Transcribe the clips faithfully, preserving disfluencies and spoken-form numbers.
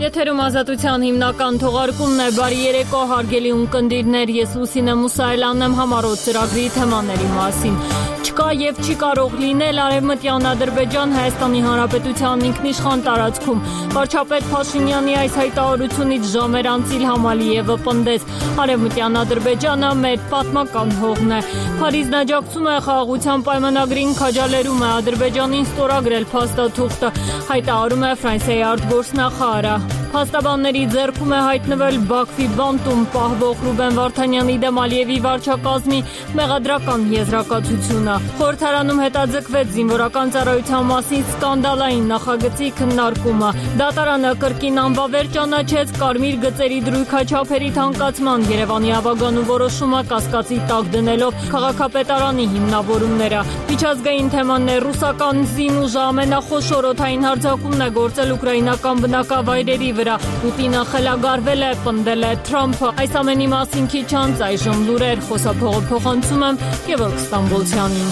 Եթերում ազատության հիմնական թողարկումն է, բարի երեկո հարգելի ունկնդիրներ, ես Լուսինե Մուսայելյանն եմ համառոտ ծրագրի թեմաների մասին։ Չկա եւ չի կարող լինել Արևմտյան Ադրբեջան Հայաստանի Հանրապետության ինքնիշխան տարածքում։ Վարչապետ Փաշինյանի այս հայտարարությունից ժամեր անց Իլհամ Ալիևը պնդեց. Արևմտյան Ադրբեջանը մեր պատմական հողն է։ Փարիզն աջակցում է խաղաղության պայմանագրին, քաջալերում է Ադրբեջանին ստորագրել փաստաթուղթը, հայտարարում է Ֆրանսիայի արտգործնախարարը։ Փաստաբանների ձեռքում է հայտնվել Բաքվի բանտում պահվող Ռուբեն Վարդանյանի դեմ Ալիևի վարչակազմի մեղադրական եզրակացությունը։ Խորհրդարանում հետաձգվեց զինվորական ծառայության մասին սկանդալային նախագծի քննարկումը։ Դատարանը կրկին անվավեր ճանաչեց կարմիր գծերի դրույքաչափերի թանկացման Երևանի ավագանու որոշումը կասկածի տակ դնելով քաղաքապետարանի հիմնավորումները։ Միջազգային թեման է ռուսական զինուժը ամենախոշոր օդային հարձակումն է գործել ուկրաինական բնակավայրերի վրա։ Պուտինը խելագարվել է, պնդել է Թրամփը։ Այս ամենի մասին քիչ անց այժմ լուրեր, խոսափողը փոխանցում եմ Գևորգ Ստամբոլցյանին։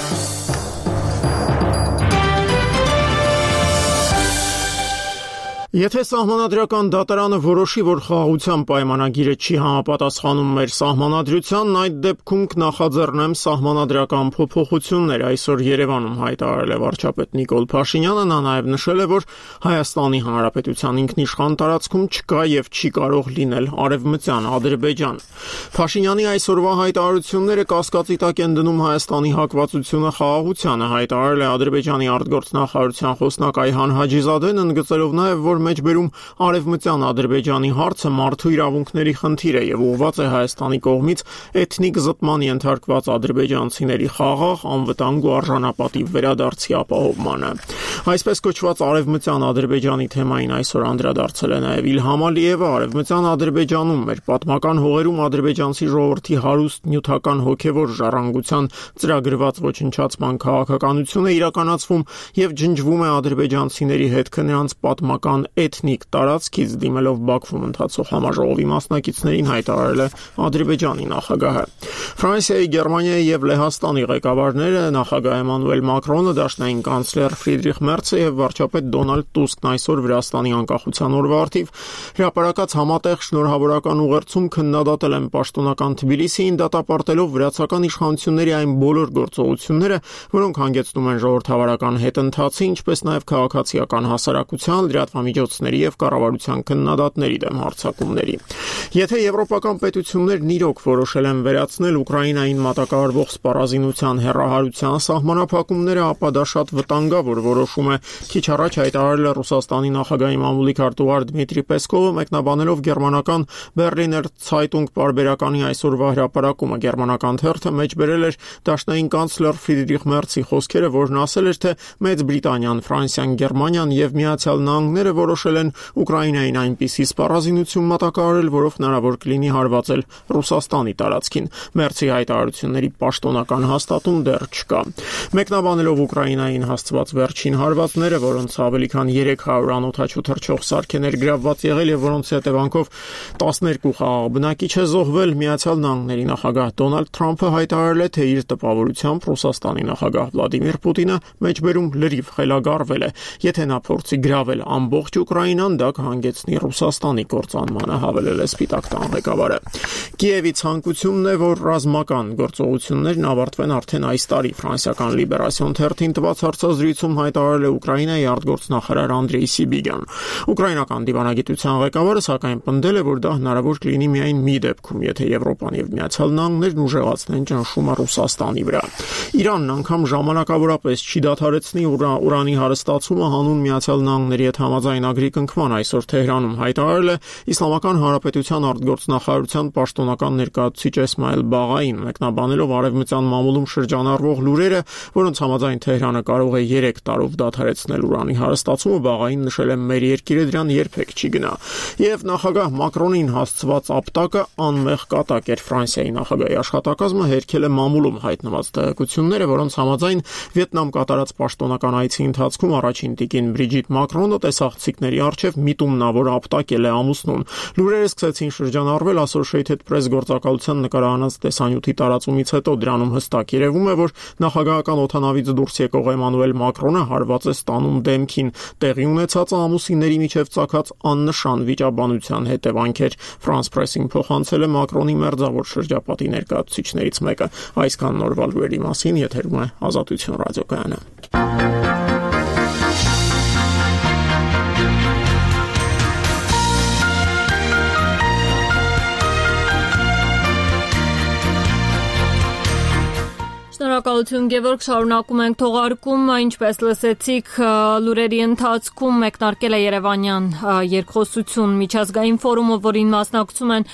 Եթե սահմանադրական դատարանը որոշի, որ խաղաղության պայմանագիրը չի համապատասխանում մեր սահմանադրությանն, այդ դեպքում կնախաձեռնեմ սահմանադրական փոփոխություններ, այսօր Երևանում հայտարարել է վարչապետ Նիկոլ Փաշինյանը։ Նա նաև նշել է, որ Հայաստանի Հանրապետության ինքնիշխան տարածքում չկա եւ չի կարող լինել Արևմտյան Ադրբեջան։ Փաշինյանի այսօրվա հայտարարությունները կասկածի տակ են դնում Հայաստանի հակվածությունը խաղաղությանը, հայտարարել է Ադրբեջանի արտգործնախարարության խոսնակ Այհան Հաջիզադեն, ընդգծելով նաև, որ մեջբերում Արևմտյան Ադրբեջանի հարցը մարդու իրավունքների խնդիր է եւ ուղղված է Հայաստանի կողմից էթնիկ զտման ենթարկված ադրբեջանցիների խաղաղ, անվտանգ ու արժանապատիվ վերադարձի ապահովմանը։ Այսպես կոչված Արևմտյան Ադրբեջանի թեմային այսօր անդրադարձել է նաև Իլհամ Ալիևը։ Արևմտյան Ադրբեջանում մեր պատմական հողերում ադրբեջանցի ժողովրդի հարուստ նյութական հոգևոր ժառանգության ծրագրված ոչնչացման քաղաքականություն է իրականացվում եւ ջնջվում է ադրբեջանցիների հետքը նրանց պատմական էթնիկ տարածքից, դիմելով Բաքվում ընթացող համաժողովի մասնակիցներին, հայտարարել է Ադրբեջանի նախագահը։ Ֆրանսիայի, Գերմանիայի եւ Լեհաստանի ղեկավարները, նախագահ Էմանուել Մակրոնը, դաշնային կանցլեր Ֆրիդրիխ Մերցը եւ վարչապետ Դոնալդ Տուսկն այսօր Վրաստանի անկախության օրվա առթիվ հրապարակած համատեղ շնորհավորական ուղերձում քննադատել են պաշտոնական Թբիլիսիին, դատապարտելով վրացական իշխանությունների այն բոլոր գործողությունները, որոնք հանգեցնում են ժողովրդավարական հետընթացի, ինչպես նաեւ քաղաքացիական հասարակության, լրատվամիջոցների եւ կառավարության քննադատների դեմ հարձակումների։ Եթե եվրոպական պետություններն իրոք որոշել են վերացնել Ուկրաինային մատակարարվող սպառազինության հեռահարության սահմանափակումները, ապա դա շատ վտանգավոր որոշում է, քիչ առաջ հայտարարել է Ռուսաստանի նախագահի մամուլի քարտուղար Դմիտրի Պեսկովը, մեկնաբանելով գերմանական Berliner Zeitung պարբերականի այսօրվա հրապարակումը։ Գերմանական թերթը մեջբերել էր դաշնային կանցլեր Ֆրիդրիխ Մերցի խոսքերը, որն ասել էր, թե Մեծ Բրիտանիան, Ֆրանսիան, Գերմանիան եւ Միացյալ Նահանգները որոշել են Ուկրաինային այնպիսի սպառազինություն մատակարարել, որով հնարավոր կլինի հարվածել Ռուսաստանի տարածքին։ Մերցի հայտարարությունների պաշտոնական հաստատում դեռ չկա։ Մեկնաբանելով Ուկրաինային հասցված վերջին հարվածները, որոնց ավելի քան երեք հարյուր անօդաչու թռչող սարք է ներգրավված եղել եւ որոնց հետևանքով տասներկու խաղաղ բնակիչ է զոհվել, Միացյալ Նահանգների նախագահ Դոնալդ Թրամփը հայտարարել է, թե իր տպավորությամբ Ռուսաստանի նախագահ Վլադիմիր Պուտինը մեջբերում լրիվ խելագարվել է։ Եթե նա փորձի գրավել ամբողջ Ուկրաինան, դա կհանգեցնի Ռուսաստանի կործանմանը, հավելել է Սպիտակ տան ղեկավարը։ Կիևի ցանկությունն է, որ ռազմական գործողություններն ավարտվեն արդեն այս տարի։ Ֆրանսիական Լիբերասիոն թերթին տված հարցազրույցում հայտարարել է Ուկրաինայի արտգործնախարար Անդրեյ Սիբիգյան։ Ուկրաինական դիվանագիտության ղեկավարը սակայն պնդել է, որ դա հնարավոր կլինի միայն մի դեպքում, եթե Եվրոպան եւ Միացյալ Նահանգներն ուժեղացնեն ճնշումը Ռուսաստանի վրա։ Իրանն անգամ ժամանակավորապես չի դադարեցնի ուրանի հարստացումը հանուն Միացյալ Նահանգների հետ համաձայնագրի կնքման, այսօր Թեհրանում հայտարարել է Իսլամական Հանրապետության արտգործնախարարության պաշտոնական ներկայացուցիչ Էսմայել Բաղային, մեկնաբանելով արևմտյան մամուլում շրջանառվող լուրերը, որոնց համաձայն Թեհրանը կարող է երեք տարով դադարեցնել ուրանի հարստացումը, Բաղային նշել է, մեր երկիրը դրան երբեք չի գնա։ Եվ նախագահ Մակրոնին հասցված ապտակը անմեղ կատակ էր։ Ֆրանսիայի նախագահի աշխատակազմը հերքել է մամուլում հայտնված տեղեկությունները, որոնց համաձայն Վիետնամ կատարած պաշտոնական այցի ընթացքում առաջին տիկին Բրիջիտ Մակրոնը տեսախցի գործիքների առջև միտումնավոր ապտակել է ամուսնուն։ Լուրերը սկսեցին շրջանառվել Associated Press գործակալության նկարահանած տեսանյութի տարածումից հետո։ Դրանում հստակ երևում է, որ նախագահական օդանավից դուրս եկող Էմանուել Մակրոնը հարված է ստանում դեմքին։ Տեղի ունեցածը ամուսինների միջև ծագած աննշան վիճաբանության հետևանք էր։ France Press-ին փոխանցել է Մակրոնի մերձավոր շրջապատի ներկայացուցիչներից մեկը։ Այսքան նորվա լուրերի մասին եթերում է Ազատություն ռադիոկայանը։ Շնորհակալություն Գևորգ, շարունակում ենք թողարկումը, ինչպես լսեցիք լուրերի ընթացքում մեկնարկել է Երևանյան երկխոսություն միջազգային ֆորումը, որին մասնակցում են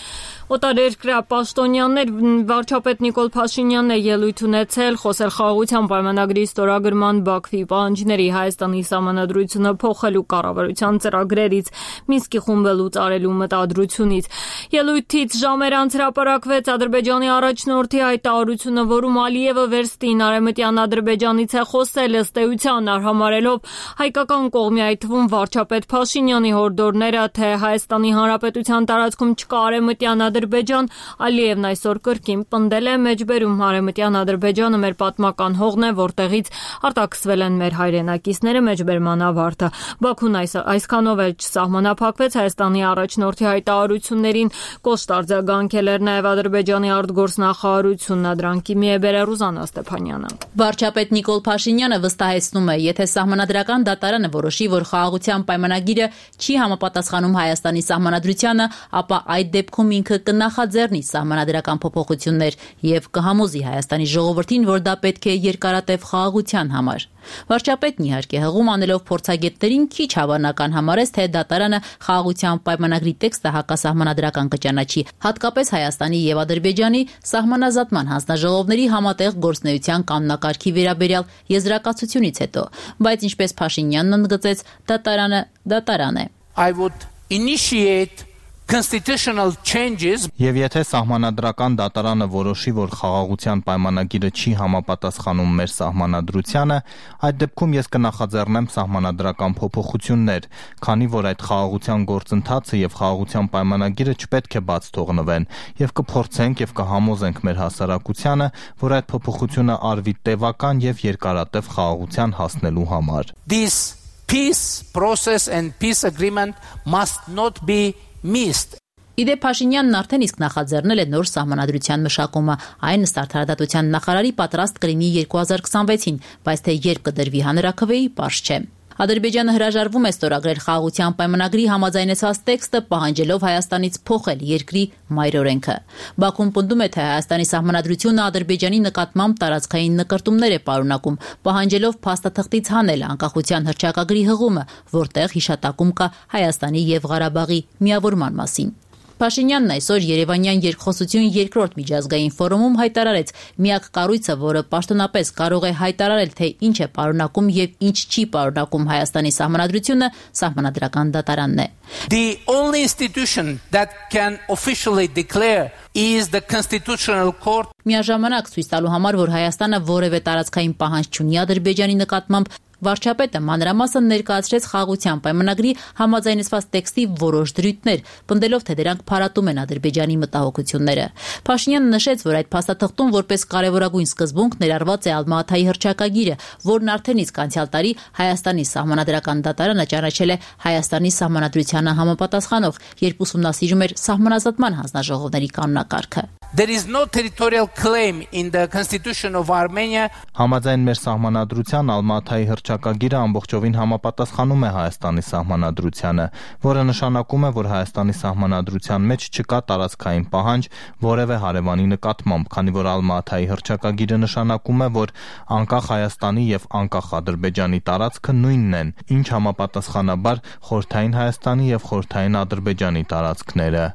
օտարերկրյա պաշտոնյաներ։ Վարչապետ Նիկոլ Փաշինյանն է ելույթ ունեցել, խոսել խաղաղության պայմանագրի ստորագրման Բաքվի պահանջների, Հայաստանի սահմանադրությունը փոխելու կառավարության ծրագրերից, Մինսկի խումբը լուծարելու մտադրությունից։ Ելույթից ժամեր անց հրապարակվեց Ադրբեջանի առաջնորդի հայտարարությունը, որում Ալիևը վերստին արևմտյան Ադրբեջանից է խոսել, ըստ էության արհամարելով հայկական կողմի, այդ թվում վարչապետ Փաշինյանի հորդորները, թե Հայաստանի Հանրապետության տարածքում չկա արևմտյան Ադրբեջան, Ալիևն այսօր կրկին պնդել է մեջբերում արևմտյան Ադրբեջանը մեր պատմական հողն է, որտեղից արտաքսվել են մեր հայրենակիցները, մեջբերման ավարտը։ Բաքուն այս, այսքանով էլ չսահմանափակվեց Հայաստանի առաջնորդի հայտարարություններին, կոշտ արձագանքել էր նաև Ադրբեջանի արտգործնախարարությունն, դրանքի մի է բերել Ռուզաննա Ստեփանյանը։ Վարչապետ Նիկոլ Փաշինյանը վստահեցնում է, եթե սահմանադրական դատարանը որոշի, որ խաղաղության պայմանագիրը չի համապատասխանում Հայաստանի սահմանադրությանը, ապա այդ դեպքում ինքը կնախաձեռնի սահմանադրական փոփոխություններ եւ կհամոզի Հայաստանի ժողովրդին, որ դա պետք է երկարատև խաղաղության համար։ Վարչապետն իհարկե հղում անելով փորձագետներին քիչ հավանական համարեց, թե դատարանը խաղաղության պայմանագրի տեքստը հակասահմանադրական կճանաչի, հատկապես Հայաստանի եւ Ադրբեջանի սահմանազատման հանձնաժողովների համատեղ գործնեության կանոնակարգի վերաբերյալ եզրակացությունից հետո, բայց ինչպես Փաշինյանն ընդգծեց, դատարանը դատարան է։ I would initiate constitutional changes. Եվ եթե սահմանադրական դատարանը որոշի, որ խաղաղության պայմանագիրը չի համապատասխանում մեր սահմանադրությանը, այդ դեպքում ես կնախաձեռնեմ սահմանադրական փոփոխություններ, քանի որ այդ խաղաղության գործընթացը եւ խաղաղության պայմանագիրը չպետք է բաց թողնվեն, եւ կփորձենք եւ կհամոզենք մեր հասարակությանը, որ այդ փոփոխությունը արվի տևական եւ երկարատև խաղաղության հասնելու համար։ This peace process and peace agreement must not be missed. Իդեպ Փաշինյանն արդեն իսկ նախաձեռնել է նոր սահմանադրության մշակումը, այն ըստ արդարադատության նախարարի պատրաստ կլինի երկու հազար քսանվեցին, բայց թե երբ կդրվի հանրաքվեի, պարզ չէ։ Ադրբեջանը հրաժարվում է ստորագրել խաղաղության պայմանագրի համաձայնեցված տեքստը, պահանջելով Հայաստանից փոխել երկրի մայրօրենքը։ Բաքուն պնդում է, թե Հայաստանի սահմանադրությունը Ադրբեջանի նկատմամբ տարածքային նկրտումներ է պարունակում, պահանջելով փաստաթղթից հանել անկախության հռչակագրի հղումը, որտեղ հիշատակում կա Հայաստանի եւ Ղարաբաղի միավորման մասին։ Փաշինյանն այսօր Երևանյան երկխոսություն երկրորդ միջազգային ֆորումում հայտարարեց, միակ կառույցը, որը պաշտոնապես կարող է հայտարարել, թե ինչ է պարունակում եւ ինչ չի պարունակում Հայաստանի սահմանադրությունը, սահմանադրական դատարանն է։ The only institution that can officially declare is the Constitutional Court. Միաժամանակ ցույց տալու համար, որ Հայաստանը որևէ տարածքային պահանջ չունի Ադրբեջանի նկատմամբ, վարչապետը մանրամասն ներկայացրեց խաղաղության պայմանագրի համաձայնեցված տեքստի որոշ դրույթներ, պնդելով, թե դրանք փարատում են Ադրբեջանի մտահոգությունները։ Փաշինյանը նշեց, որ այդ փաստաթղթում որպես կարևորագույն սկզբունք ներառված է Ալմա-Աթայի հռչակագիրը, որն արդեն իսկ անցյալ տարի Հայաստանի սահմանադրական դատարանը ճանաչել է Հայաստանի սահմանադրությանը համապատասխանող, երբ ուսումնասիրում էր սահմանազատման հանձնաժողովների կանոնակարգը։ There is no territorial claim in the Constitution of Armenia. Համաձայն մեր սահմանադրության Ալմա-Աթայի հռչակագիրը ամբողջովին համապատասխանում է Հայաստանի սահմանադրությանը, որը նշանակում է, որ Հայաստանի սահմանադրության մեջ չկա տարածքային պահանջ որևէ հարևանի նկատմամբ, քանի որ Ալմա-Աթայի հռչակագիրը նշանակում է, որ անկախ Հայաստանի եւ անկախ Ադրբեջանի տարածքը նույնն են, ինչ համապատասխանաբար Խորհրդային Հայաստանի եւ Խորհրդային Ադրբեջանի տարածքները։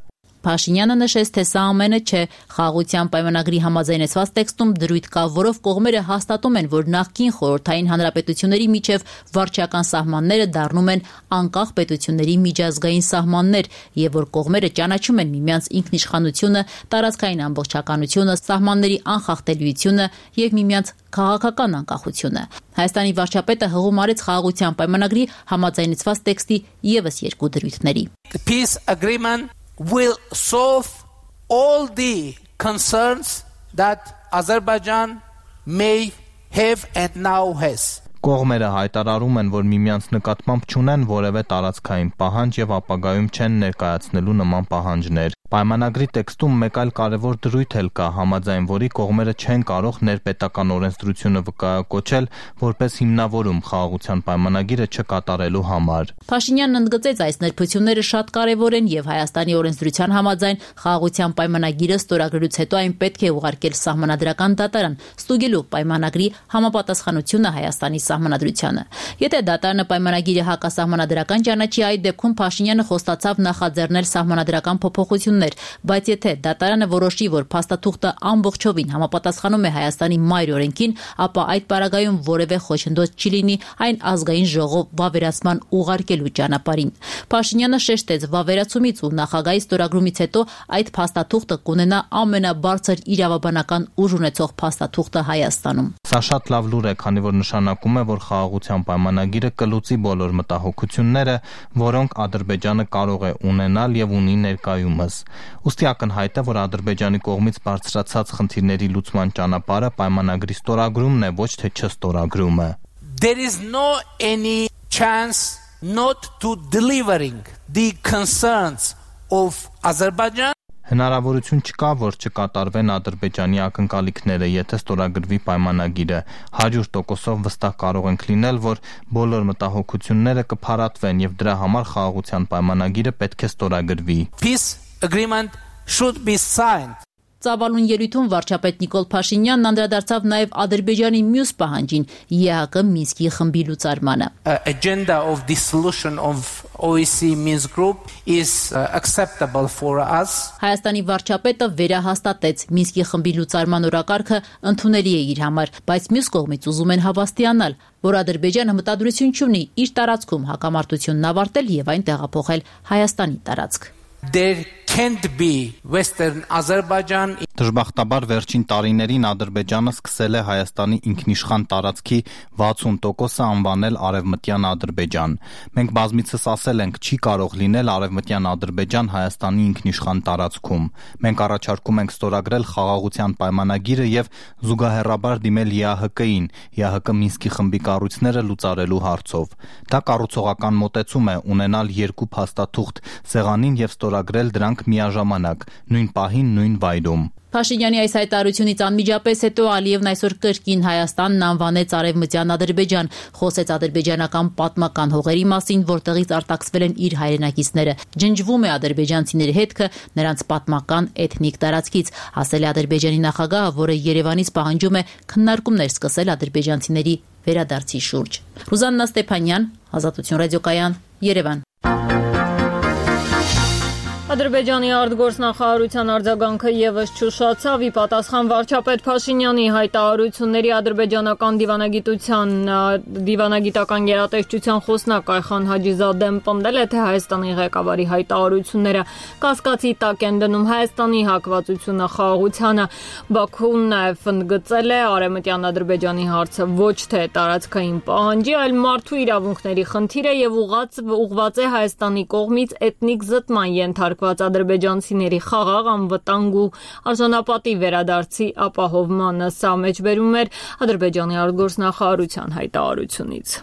Փաշինյանը նշեց, թե սա ամենը չէ։ Խաղաղության պայմանագրի համաձայնեցված տեքստում դրույթ կա, որով կողմերը հաստատում են, որ նախկին խորհրդային հանրապետությունների միջև վարչական սահմանները դառնում են անկախ պետությունների միջազգային սահմաններ եւ որ կողմերը ճանաչում են միմյանց ինքնիշխանությունը, տարածքային ամբողջականությունը, սահմանների անխախտելիությունը եւ միմյանց քաղաքական անկախությունը։ Հայաստանի վարչապետը հղում արեց խաղաղության պայմանագրի համաձայնեցված տեքստի եւս երկու դրույթների։ The peace agreement will solve all the concerns that Azerbaijan may have and now has. Կողմերը հայտարարում են, որ միմյանց նկատմամբ չունեն որևէ տարածքային պահանջ եւ ապագայում չեն ներկայացնելու նման պահանջներ։ Պայմանագրի տեքստում մեկ այլ կարևոր դրույթ էլ կա, համաձայն որի կողմերը չեն կարող ներպետական օրենսդրությունը վկայակոչել որպես հիմնավորում խաղաղության պայմանագիրը չկատարելու համար։ Փաշինյանն ընդգծեց, այս ներբությունները շատ կարևոր են եւ Հայաստանի օրենսդրության համաձայն խաղաղության պայմանագիրը ստորագրելուց հետո այն պետք է ուղարկել սահմանադրական դատարան, ստուգելու պայմանագրի համապատասխանությունը Հայաստանի սահմանադրությանը։ Եթե դատարանը պայմանագիրը հակասահմանադրական ճանաչի, այդ դեպքում Փաշինյանը խոստացավ նախաձեռնել սահմանադրական փոփոխություններ, բայց եթե դատարանը որոշի, որ փաստաթուղթը ամբողջովին համապատասխանում է Հայաստանի մայր օրենքին, ապա այդ պարագայում որևէ խոչընդոտ չի լինի այն ազգային ժողով վավերացման ուղարկելու ճանապարհին։ Փաշինյանը շեշտեց, վավերացումից ու նախագահի ստորագրումից հետո այդ փաստաթուղթը կունենա ամենաբարձր իրավաբանական ուժ ունեցող փաստաթուղթը Հայաստանում։ Սա շատ լավ լուր է, քանի որ նշանակում է, որ խաղաղության պայմանագիրը կլուծի բոլոր մտահոգությունները, որոնք Ադրբեջանը կարող է ունենալ եւ ունի ներկայումս։ Ուստի ակնհայտ է, որ Ադրբեջանի կողմից բարձրացած խնդիրների լուծման ճանապարհը պայմանագրի ստորագրումն է, ոչ թե չստորագրումը։ There is no any chance not to delivering the concerns of Azerbaijan. Հնարավորություն չկա, որ չկատարվեն Ադրբեջանի ակնկալիքները, եթե ստորագրվի պայմանագիրը։ հարյուր տոկոսով վստահ կարող ենք լինել, որ բոլոր մտահոգությունները կփարատվեն եւ դրա համար խաղաղության պայմանագիրը պետք է ստորագրվի։ Peace agreement should be signed. Ծավալուն ելույթում վարչապետ Նիկոլ Փաշինյանն անդրադարձավ նաև Ադրբեջանի մյուս պահանջին՝ ԵԱՀԿ Մինսկի խմբի լուծարմանը։ Agenda of dissolution of O E C Minsk group is uh, acceptable for us. Հայաստանի վարչապետը վերահաստատեց Մինսկի խմբի լուծարման օրակարգը ընդունելի է իր համար, բայց մյուս կողմից ուզում են հավաստիանալ, որ Ադրբեջանը մտադրություն չունի իր տարածքում հակամարտությունն ավարտել եւ այն տեղափոխել Հայաստանի տարածք։ There can't be Western Azerbaijan. Դժբախտաբար վերջին տարիներին Ադրբեջանը սկսել է Հայաստանի ինքնիշխան տարածքի վաթսուն տոկոսը անվանել Արևմտյան Ադրբեջան։ Մենք բազմիցս ասել ենք, չի կարող լինել Արևմտյան Ադրբեջան Հայաստանի ինքնիշխան տարածքում։ Մենք առաջարկում ենք ստորագրել խաղաղության պայմանագիրը եւ զուգահեռաբար դիմել ԵԱՀԿ-ին, ԵԱՀԿ Մինսկի խմբի կառույցները լուծարելու հարցով։ Դա կառուցողական մոտեցում է ունենալ երկու փաստաթուղթ սեղանին եւ ստորագրել դրանք միաժամանակ, նույն պահին, նույն վայրում։ Փաշինյանի այս հայտարարությունից անմիջապես հետո Ալիևն այսօր կրկին Հայաստանն անվանեց Արևմտյան Ադրբեջան, խոսեց ադրբեջանական պատմական հողերի մասին, որտեղից արտաքսվել են իր հայրենակիցները։ Ջնջվում է ադրբեջանցիների հետքը նրանց պատմական էթնիկ տարածքից, ասել է Ադրբեջանի նախագահը, որը Երևանից պահանջում է քննարկումներ սկսել ադրբեջանցիների վերադարձի շուրջ։ Ռուզաննա Ստեփանյան, Ազատություն ռադիոկայան, Երևան։ Ադրբեջանի արտգործնախարարության արձագանքը եւս չուշացավ՝ ի պատասխան վարչապետ Փաշինյանի հայտարարությունների ադրբեջանական դիվանագիտության դիվանագիտական գերատեսչության խոսնակ Այխան Հաջիզադեն պնդել է, թե Հայաստանի ղեկավարի հայտարարությունները կասկածի տակ են դնում Հայաստանի հակվածությունը խաղաղությանը։ Բաքուն նաեւ ընդգծել է Արևմտյան Ադրբեջանի հարցը ոչ թե տարածքային պահանջի, այլ մարդու իրավունքների խնդիր է եւ ուղղված է Հայաստանի կողմից էթնիկ զտման ենթարկված ադրբեջանցիների խաղաղ, անվտանգ ու արժանապատիվ վերադարձի ապահովմանը։ Սա մեջբերում էր Ադրբեջանի արտգործնախարարության հայտարարությունից։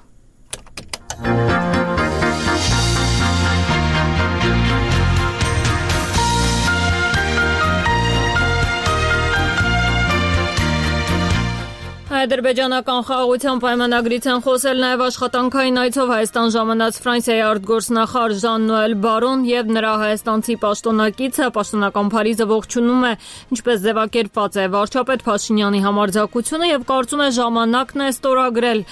Ադրբեջանական խաղաղության պայմանագրից են խոսել նաև աշխատանքային այցով Հայաստան ժամանած Ֆրանսիայի արտգործնախարար Ժան-Նոել Բարոն եւ նրա հայաստանցի պաշտոնակիցը պաշտոնական Փարիզը ողջունում է, ինչպես ձևակերպված է վարչապետ Փաշինյանի համարձակությունը եւ կարծում է ժամանակն է ստորագրել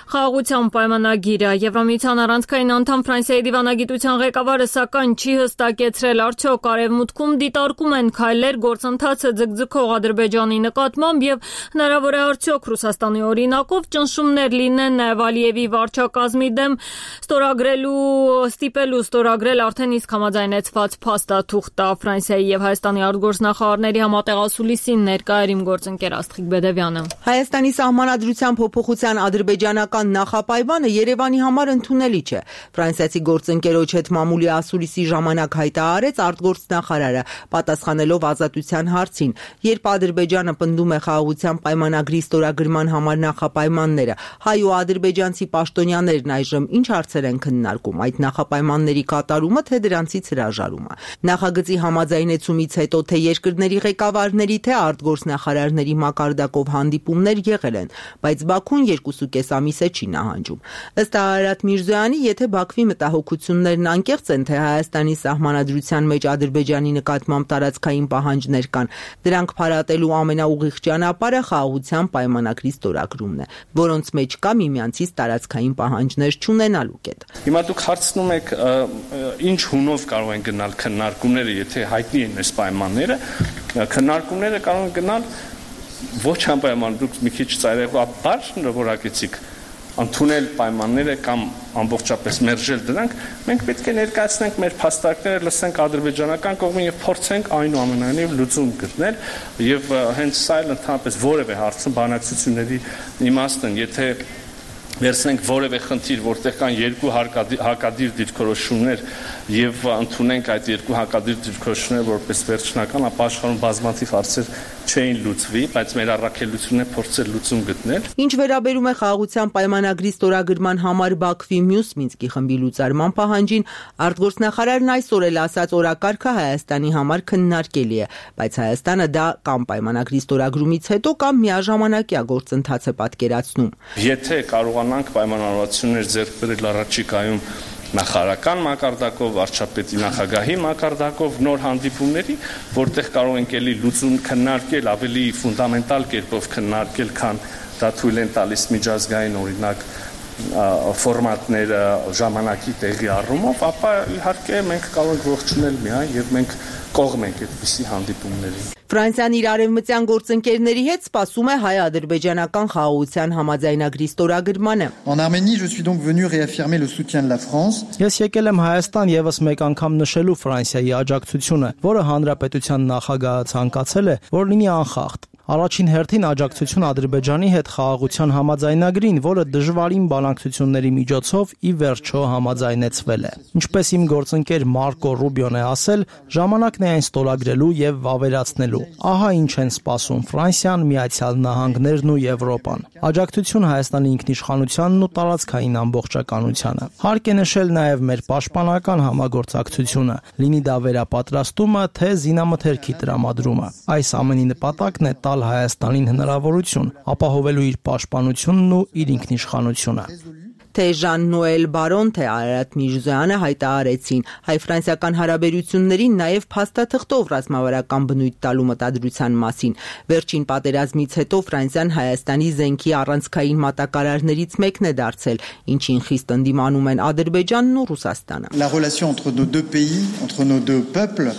Խաղաղության պայմանագիրը Եվրամիության առանցքային անդամ Ֆրանսիայի դիվանագիտության ղեկավարը սակայն չի հստակեցրել արդյոք արևմուտքում դիտարկում են քայլեր գործընթացը ձգձգող Ադրբեջանի նկատմամբ եւ հնարավոր է արդյոք Ռուսաստանի օրինակով ճնշումներ լինեն նաեւ Ալիևի վարչակազմի դեմ ստորագրելու ստիպելու ստորագրել արդեն իսկ համաձայնեցված փաստաթուղթը Ֆրանսիայի եւ Հայաստանի արտգործնախարարների համատեղասուլիսին ներկա էր իմ գործընկեր Աստղիկ Բեդևյանը։ Հայաստանի սահմանադրության փոփոխության ադրբեջանական նախապայմանը Երևանի համար ընդունելի չէ։ Ֆրանսիացի գործընկերոջ հետ մամուլի ասուլիսի ժամանակ հայտարարեց արտգործնախարարը, պատասխանելով ազատության հարցին, երբ Ադրբեջանը պնդում է խաղաղության պայմանագրի ստորագրման համար նախապայմանները, հայ ու ադրբեջանցի պաշտոնյաներն այժմ ինչ հարցեր են քննարկում, այդ նախապայմանների կատարումը թե դրանցից հրաժարումը։ Նախագծի համաձայնեցումից հետո թե երկրների ղեկավարների, թե արտգործնախարարների մակարդակով հանդիպումներ եղել են, բայց Բաքուն երկուսուկես ամիս է չի նահանջում։ Ըստ Արարատ Միրզոյանի, եթե Բաքվի մտահոգություններն անկեղծ են, թե Հայաստանի սահմանադրության մեջ Ադրբեջանի նկատմամբ տարածքային պահանջներ կան, դրանք փարատելու ամենաուղիղ ճանապարհը խաղաղության պայմանագրի ստորագրումն է, որոնց մեջ կա միմյանցից տարածքային պահանջներ չունենալու կետ։ Հիմա դուք հարցնում եք ինչ հունով կարող են գնալ քննարկումները, եթե հայտնի են այս պայմանները, քննարկումները կարող են գնալ ոչ անպայման դուք մի քիչ ծայրահեղ որակեցիք ընդունել պայմանները կամ ամբողջապես մերժել դրանք, մենք պետք է ներկայացնենք մեր փաստարկները, լսենք ադրբեջանական կողմին եւ փորձենք այնուամենայնիվ լուծում գտնել եւ հենց սա էլ ընդհանրապես որևէ հարցում բանակցությունների իմաստն, եթե վերցնենք որևէ խնդիր, որտեղ կան երկու հակադիր դիրքորոշումներ եւ ընդունենք այդ երկու հակադիր դիրքորոշումները որպես վերջնական, ապա աշխարհում բազմաթիվ հարցեր չէին լուծվի, բայց մեր առաքելությունն է փորձել լուծում գտնել։ Ինչ վերաբերում է խաղաղության պայմանագրի ստորագրման համար Բաքվի մյուս Մինսկի խմբի լուծարման պահանջին, արտգործնախարարն այսօր էլ ասաց օրակարգը Հայաստանի համար քննարկելի է, բայց Հայաստանը դա կամ պայմանագրի ստորագրումից հետո կամ միաժամանակյա գործընթաց է պատկերացնում։ Եթե կարողանանք պայմանավորվածություններ ձեռք բերել առաջիկայում նախարարական մակարդակով, վարչապետի նախագահի մակարդակով նոր հանդիպումների, որտեղ կարող ենք էլի լուծում քննարկել, ավելի ֆունդամենտալ կերպով քննարկել, քան դա թույլ են տալիս միջազգային օրինակ ֆորմատները ժամանակի տեղի առումով, ապա իհարկե մենք կարող ենք ողջունել միայն եւ մենք կողմ ենք այդպիսի հանդիպումների։ Ֆրանսիան իր արևմտյան գործընկերների հետ սպասում է հայ-ադրբեջանական խաղաղության համաձայնագրի ստորագրմանը։ En Arménie, je suis donc venu réaffirmer le soutien de la France. Ես եկել եմ Հայաստան եւս մեկ անգամ նշելու Ֆրանսիայի աջակցությունը, որը հանրապետության նախագահը ցանկացել է, որ լինի անխախտ։ Առաջին հերթին աջակցություն Ադրբեջանի հետ խաղաղության համաձայնագրին, որը դժվարին բանակցությունների միջոցով ի վերջո համաձայնեցվել է։ Ինչպես իմ գործընկեր Մարկո Ռուբիոն է ասել, ժամանակն է այն ստորագրելու եւ վավերացնելու։ Ահա ինչ են սպասում Ֆրանսիան, Միացյալ Նահանգներն ու Եվրոպան։ Աջակցություն Հայաստանի ինքնիշխանությանն ու տարածքային ամբողջականությանը։ Հարկ է նշել նաեւ մեր պաշտպանական համագործակցությունը, լինի դա վերապատրաստումը, թե զինամթերքի տրամադրումը։ Այս ամենի նպատակն է Հայաստանին հնարավորություն ապահովելու իր պաշտպանությունն ու իր ինքնիշխանությունը։ Թե Ժան-Նոել Բարոն, թե Արարատ Միրզոյանը հայտարարեցին հայ-ֆրանսիական հարաբերություններին նաև փաստաթղթով ռազմավարական բնույթ տալու մտադրության մասին։ Վերջին պատերազմից հետո Ֆրանսիան Հայաստանի զենքի առանցքային մատակարարներից մեկն է դարձել, ինչին խիստ ընդդիմանում են Ադրբեջանն ու Ռուսաստանը։ La relation entre nos deux pays, entre nos deux peuples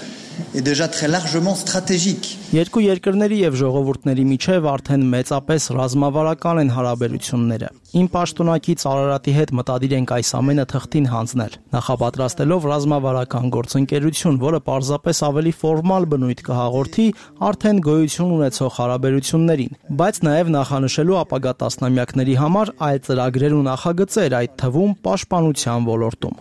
est déjà très largement stratégique. Երկու երկրների եւ ժողովուրդների միջև արդեն մեծապես ռազմավարական են հարաբերությունները։ Իմ պաշտոնակից Արարատի հետ մտադիր ենք այս ամենը թղթին հանձնել, նախապատրաստելով ռազմավարական գործընկերություն, որը պարզապես ավելի ֆորմալ բնույթ կհաղորդի արդեն գոյություն ունեցող հարաբերություններին, բայց նաեւ նախանշելու ապագա տասնամյակների համար այլ ծրագրեր ու նախագծեր, այդ թվում պաշտպանության ոլորտում։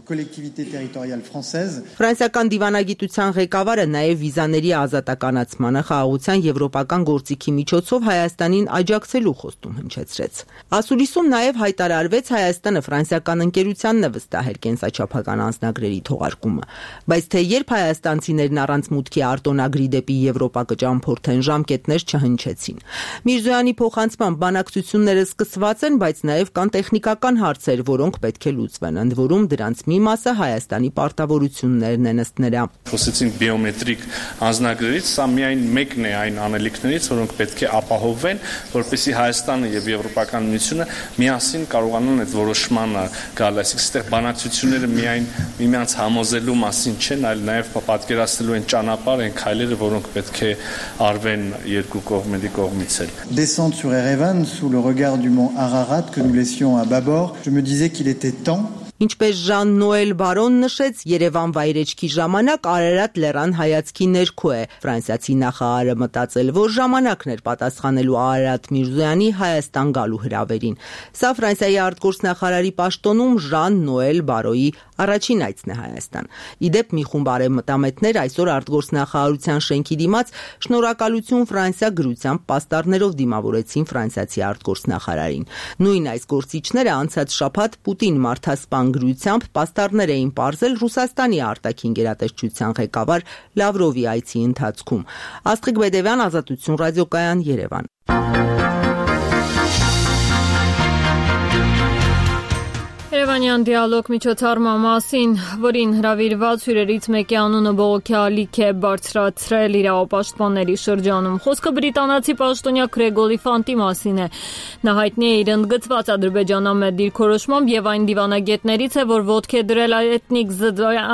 Ֆրանսիական դիվանագիտության ղեկավարը նաեւ վիզաների ազատականացմանը խաղաղության եվրոպական գործիքի միջոցով Հայաստանին աջակցելու խոստում հնչեցրեց։ Ասուլիսում նաև հայտարարվեց Հայաստանը ֆրանսիական ընկերությանն է վստահել կենսաչափական անձնագրերի թողարկումը, բայց թե երբ հայաստանցիներն առանց մուտքի արտոնագրի դեպի Եվրոպա կճամփորդեն, ժամկետներ չհնչեցին։ Միրզոյանի փոխանցման բանակցությունները սկսված են, բայց նաև կան տեխնիկական հարցեր, որոնք պետք է լուծվեն, ընդ որում դրանց մի մասը Հայաստանի պարտավորություններն են ըստ նրա։ Խոսեցինք բիոմետրիկ անձնագրերից, սա միայն մեկ մեկն է այն անելիքներից, որոնք պետք է ապահովվեն, որպեսզի Հայաստանը եւ Եվրոպական միությունը միասին կարողանան այդ որոշմանը գալ, այսինքն այստեղ բանակցությունները միայն միմյանց համոզելու մասին չեն, այլ նաեւ պատկերացնելու են ճանապարհ, այն քայլերը, որոնք պետք է արվեն երկու կողմերի կողմից էլ։ Descendre sur Erevan sous le regard du mont Ararat que nous laissions à bâbord, je me disais qu'il était temps. Ինչպես Ժան Նոել Բարոն նշեց, Երևան վայրեջքի ժամանակ Արարատ լեռան հայացքի ներքո է։ Ֆրանսիացի նախարարը մտածել, որ ժամանակն էր պատասխանելու Արարատ Միրզոյանի Հայաստան գալու հրավերին։ Սա Ֆրանսիայի արտգործնախարարի պաշտոնում Ժան Նոել Բարոյի առաջին այցն է Հայաստան։ Իդեպ մի խումբ արևմտամետներ այսօր արտգործնախարարության շենքի դիմաց շնորհակալություն Ֆրանսիա գրությամբ պաստառներով դիմավորեցին ֆրանսիացի արտգործնախարարին։ Նույն այս գործիչները անցած շաբաթ Պուտին մարդասպան գրությամբ պաստառներ էին պարզել Ռուսաստանի արտաքին գերատեսչության ղեկավար Լավրովի այցի ընթացքում։ Աստղիկ Բեդևյան, Ազատություն ռադիոկայան, Երևան։ Երևանյան դիալոգ միջոցառման մասին, որին հրավիրված հյուրերից մեկի անունը բողոքի ալիք է բարձրացրել իրավապաշտպանների շրջանում։ Խոսքը բրիտանացի պաշտոնյա Քրեգ Օլիֆանտի մասին է։ Նա հայտնի է իր ընդգծված ադրբեջանամետ դիրքորոշմամբ եւ այն դիվանագետներից է, որ ոտք է դրել էթնիկ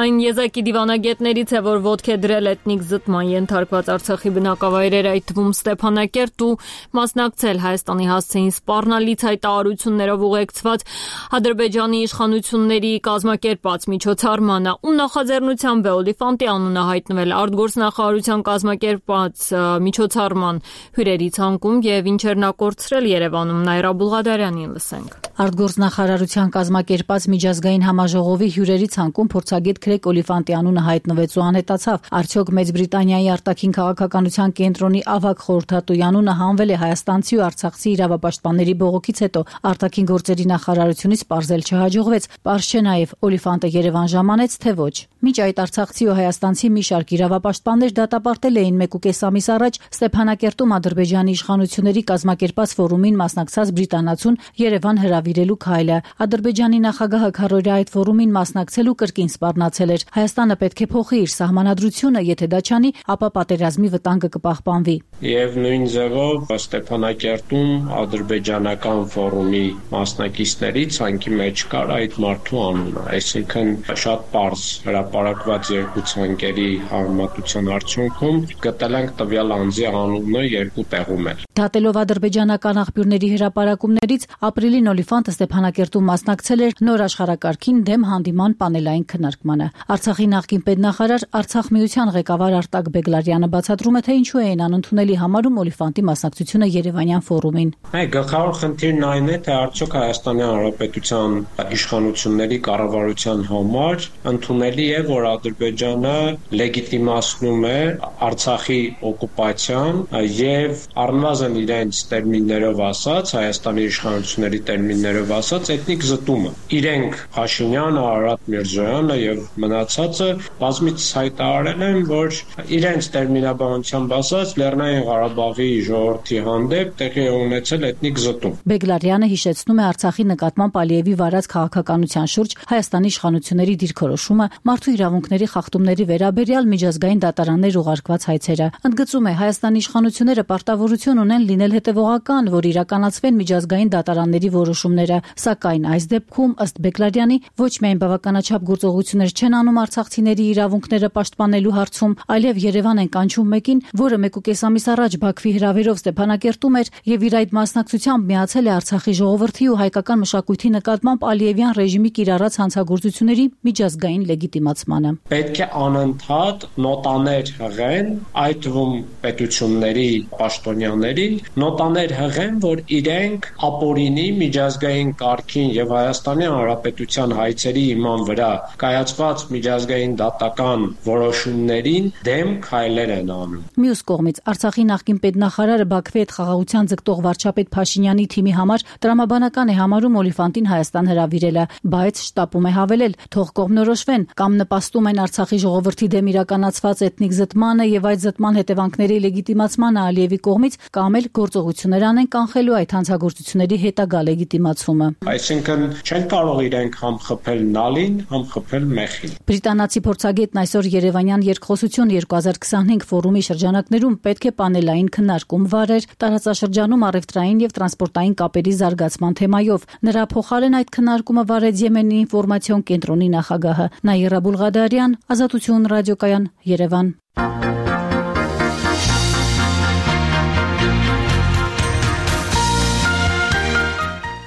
այն եզակի դիվանագետներից է, որ ոտք է դրել էթնիկ զտման ենթարկված Արցախի բնակավայրեր, այդ թվում Ստեփանակերտ ու մասնակցել Հայաստանի հասցեին սպառնալից հայտարարություններով ուղեկցված Ադրբեջանի իշխանությունների կազմակերպած միջոցառմանը, ում նախաձեռնությամբ է Օլիֆանտի անունը հայտնվել արտգործնախարարության կազմակերպած միջոցառման հյուրերի ցանկում եւ ինչեր նա կորցրել Երևանում, Նայրա Բուլղադարյանին լսենք։ Արտգործնախարարության կազմակերպած միջազգային համաժողովի հյուրերի ցանկում փորձագետ Քրեգ Օլիֆանտի անունը հայտնվեց ու անհետացավ։ Արդյոք Մեծ Բրիտանիայի արտաքին քաղաքականության կենտրոնի ավագ խորհրդատուի անունը հանվել է հայաստանցի ու արցախցի իրավապաշտպանների բողոքից հետո արտաքին գործերի նախարարությունից պարզել չհաջողվեց։ Պարզ չէ նաև Օլիֆանտը Երևան ժամանեց, թե ոչ։ Մինչ այդ արցախցի ու հայաստանցի մի շարք իրավապաշտպաններ դատապարտել էին մեկուկես ամիս առաջ Ստեփանակերտում Ադրբեջանի իշխանությունների կազմակերպած ֆորումին մասնակցած բրիտանացուն Երևան հրավիրելու քայլը։ Ադրբեջանի նախագահը քառօրյա այդ ֆորումին մասնակցելու կրկին սպառնացել էր։ Հայաստանը պետք է փոխի իր սահմանադրությունը, եթե դա չանի, ապա պատերազմի վտանգը կպահպանվի։ Եվ նույն ձևով Ստեփանակերտում ադրբեջանական ֆորումի մասնակիցների ցանկի մեջ կար այդ մարդու անունը, այսինքն շատ պարզ հրապարակված երկու ցանկերի համեմատության արդյունքում գտել ենք տվյալ անձի անունը երկու տեղում էր։ Դատելով ադրբեջանական աղբյուրների հրապարակումներից ապրիլին Օլիֆանտը Ստեփանակերտում մասնակցել էր նոր աշխարհակարգին դեմ հանդիման պանելային քննարկմանը։ Արցախի նախկին պետնախարար Արցախ միության ղեկավար Արտակ Բեգլարյանը բացատրում է, թե ինչու էին անընդունելի համարում Օլիֆանտի մասնակցությունը Երևանյան ֆորումին։ Այ գլխավոր խնդիրն այն է, թե արդյոք Հայաստանի Հանրապետության իշխանությունների կառավարության համար ընդունելի է, որ Ադրբեջանը լեգիտիմացնում է Արցախի օկուպացիան եւ առնվազն իրենց տերմիններով ասած, Հայաստանի իշխանությունների տերմիններով ասած, էթնիկ զտումը։ Իրենք Փաշինյանը, Արարատ Միրզոյանը եւ մնացածը բազմիցս հայտարարել են, որ իրենց տերմինաբանությամբ ասած Լեռնային Ղարաբաղի ժողովրդի հանդեպ տեղի է ունեցել էթնիկ զտում։ Բեգլարյանը հիշեցնում է Արցախի նկատմամբ Ալիևի վարած քաղաքականության շուրջ Հայաստանի իշխանությունների դիրքորոշումը, մարդու իրավունքների խախտումների վերաբերյալ միջազգային դատարաններ ուղարկված հայցերը։ Ընդգծում է, Հայաստանի իշխանությունները պարտավորություն ունեն լինել հետևողական, որ իրականացվեն միջազգային դատարանների որոշումները, սակայն այս դեպքում ըստ Բեգլարյանի ոչ միայն բավականաչափ գործողություններ չեն անում արցախցիների իրավունքները պաշտպանելու հարցում, այլև Երևան են կանչում մեկին, որը մեկուկես ամիս առաջ Բաքվի հրավերով Ստեփանակերտում էր եւ իր այդ մասնակցությամբ միացել է Արցախի ժողովրդի ու հայկական մշակույթի նկատմամբ Ալիևյան ռեժիմի կիրառած հանցագործությունների միջազգային լեգիտիմացմանը։ Պետք է անընդհատ նոտաներ հղեն, այդ թվում պետությունների պաշտոնյաներին, նոտաներ հղեն, որ իրենք ապօրինի միջազգային կարգին եւ Հայաստանի Հանրապետության հայցերի իման վրա կայացված միջազգային դատական որոշումներին դեմ քայլեր են անում։ Մյուս կողմից Արցախի նախկին պետնախարարը Բաքվի հետ խաղաղության ձգտող վարչապետ Փաշինյանի թիմի համար տրամաբանական է համարում Օլիֆանտին Հայաստան հրավիրել նվիրելը, բայց շտապում է հավելել, թող կողմնորոշվեն, կամ նպաստում են Արցախի ժողովրդի դեմ իրականացված էթնիկ զտմանը եւ այդ զտման հետևանքների լեգիտիմացմանը Ալիևի կողմից, կամ էլ գործողություններ անեն կանխելու այդ հանցագործությունների հետագա լեգիտիմացումը։ Այսինքն չեն կարող իրենք համ խփել նալին, համ խփել մեխին։ Բրիտանացի փորձագետն այսօր Երևանյան երկխոսություն երկու հազար քսանհինգ ֆորումի շրջանակներում պետք է պանելային քննարկում վարեր տարածաշրջանում առևտրային եւ տրանսպորտային կապերի զարգացման թեմայով։ Նրա փոխարեն այդ քննարկումը վարեց Եմենի ինֆորմացիոն կենտրոնի նախագահը Նաիրա Բուլղադարյան, Ազատություն ռադիոկայան, Երևան։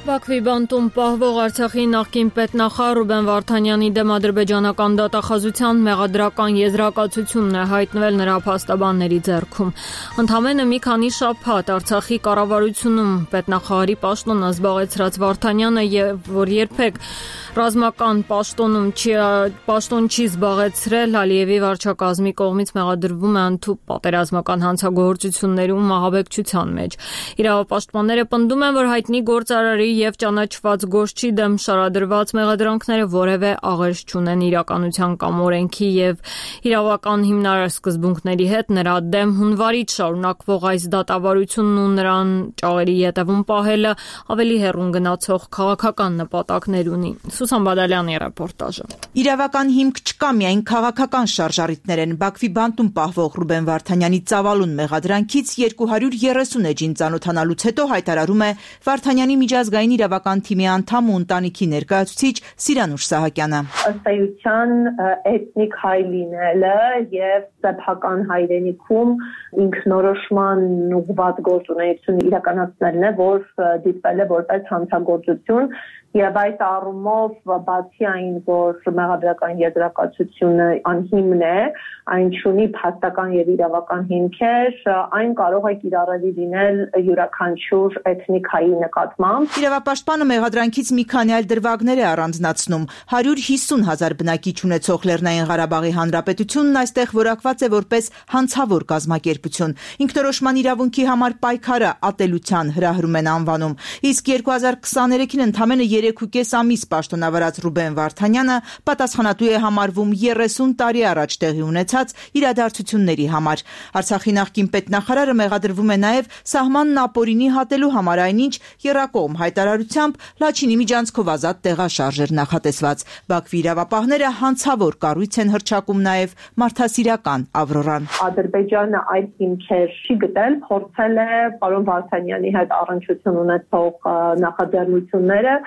Բաքվի բանտում պահվող Արցախի նախկին պետնախարար Ռուբեն Վարդանյանի դեմ ադրբեջանական դատախազության մեղադրական եզրակացությունն է հայտնվել նրա փաստաբանների ձեռքում։ Ընդամենը մի քանի շաբաթ Արցախի կառավարությունում պետնախարարի պաշտոնը զբաղեցրած Վարդանյանը, որ երբեք ռազմական պաշտոնում չի պաշտոն չի զբաղեցրել, Ալիևի վարչակազմի կողմից մեղադրվում է ընդհանուր պատերազմական հանցագործություններում ահաբեկչության մեջ։ Իրավապաշտպանները պնդում են, որ հայտնի գործարարի եւ ճանաչված գործչի դեմ շարադրված մեղադրանքները որևէ աղերս չունեն իրականության կամ օրենքի եւ իրավական հիմնարար սկզբունքների հետ, նրա դեմ հունվարից շարունակվող այս դատավարությունն ու նրան ճաղերի ետևում պահելը ավելի հեռուն գնացող քաղաքական նպատակներ ունի։ Սուսան Բադալյանի ռեպորտաժը։ Իրավական հիմք չկա, միայն քաղաքական շարժառիթներ են։ Բաքվի բանտում պահվող Ռուբեն Վարդանյանի ծավալուն մեղադրանքից երկու հարյուր երեսուն էջին ծանոթանալուց հետո հայտարարում է Վարդանյանի միջազգային իրավական թիմի անդամ ու ընտանիքի ներկայացուցիչ Սիրանուշ Սահակյանը։ Ըստ էության էթնիկ հայ լինելը եւ սեփական հայրենիքում ինքնորոշման ուղղված գործունեություն իրականացնելն է, որ դիտվել է որպես հանցագործություն։ Եվ այս առումով բացի այն, որ մեղադրական եզրակացությունը անհիմն է, այն չունի փաստական եւ իրավական հիմքեր, այն կարող է կիրառելի լինել յուրաքանչյուր էթնիկ հայի նկատմամբ։ Իրավապաշտպանը մեղադրանքից մի քանի այլ դրվագներ է առանձնացնում։ հարյուր հիսուն հազար բնակիչ ունեցող Լեռնային Ղարաբաղի Հանրապետությունն այստեղ որակված է որպես հանցավոր կազմակերպություն։ Ինքնորոշման իրավունքի համար պայքարը ատելության հրահրում են անվանում։ Իսկ երկու հազար քսաներեքին ընդամենը երեք ու կես ամիս պաշտոնավարած Ռուբեն Վարդանյանը պատասխանատու է համարվում երեսուն տարի առաջ տեղի ունեցած իրադարձությունների համար։ Արցախի նախկին պետնախարարը մեղադրվում է նաև սահմանն ապօրինի հատելու համար, այնինչ եռակողմ հայտարարությամբ Լաչինի միջանցքով ազատ տեղաշարժ էր նախատեսված։ Բաքվի իրավապահները հանցավոր կառույց են հռչակում նաև մարդասիրական Ավրորան։ Ադրբեջանը այդ հիմքեր չի գտել, փորձել է պարոն Վարդանյանի հետ առնչություն ունեցող նախաձեռնությունները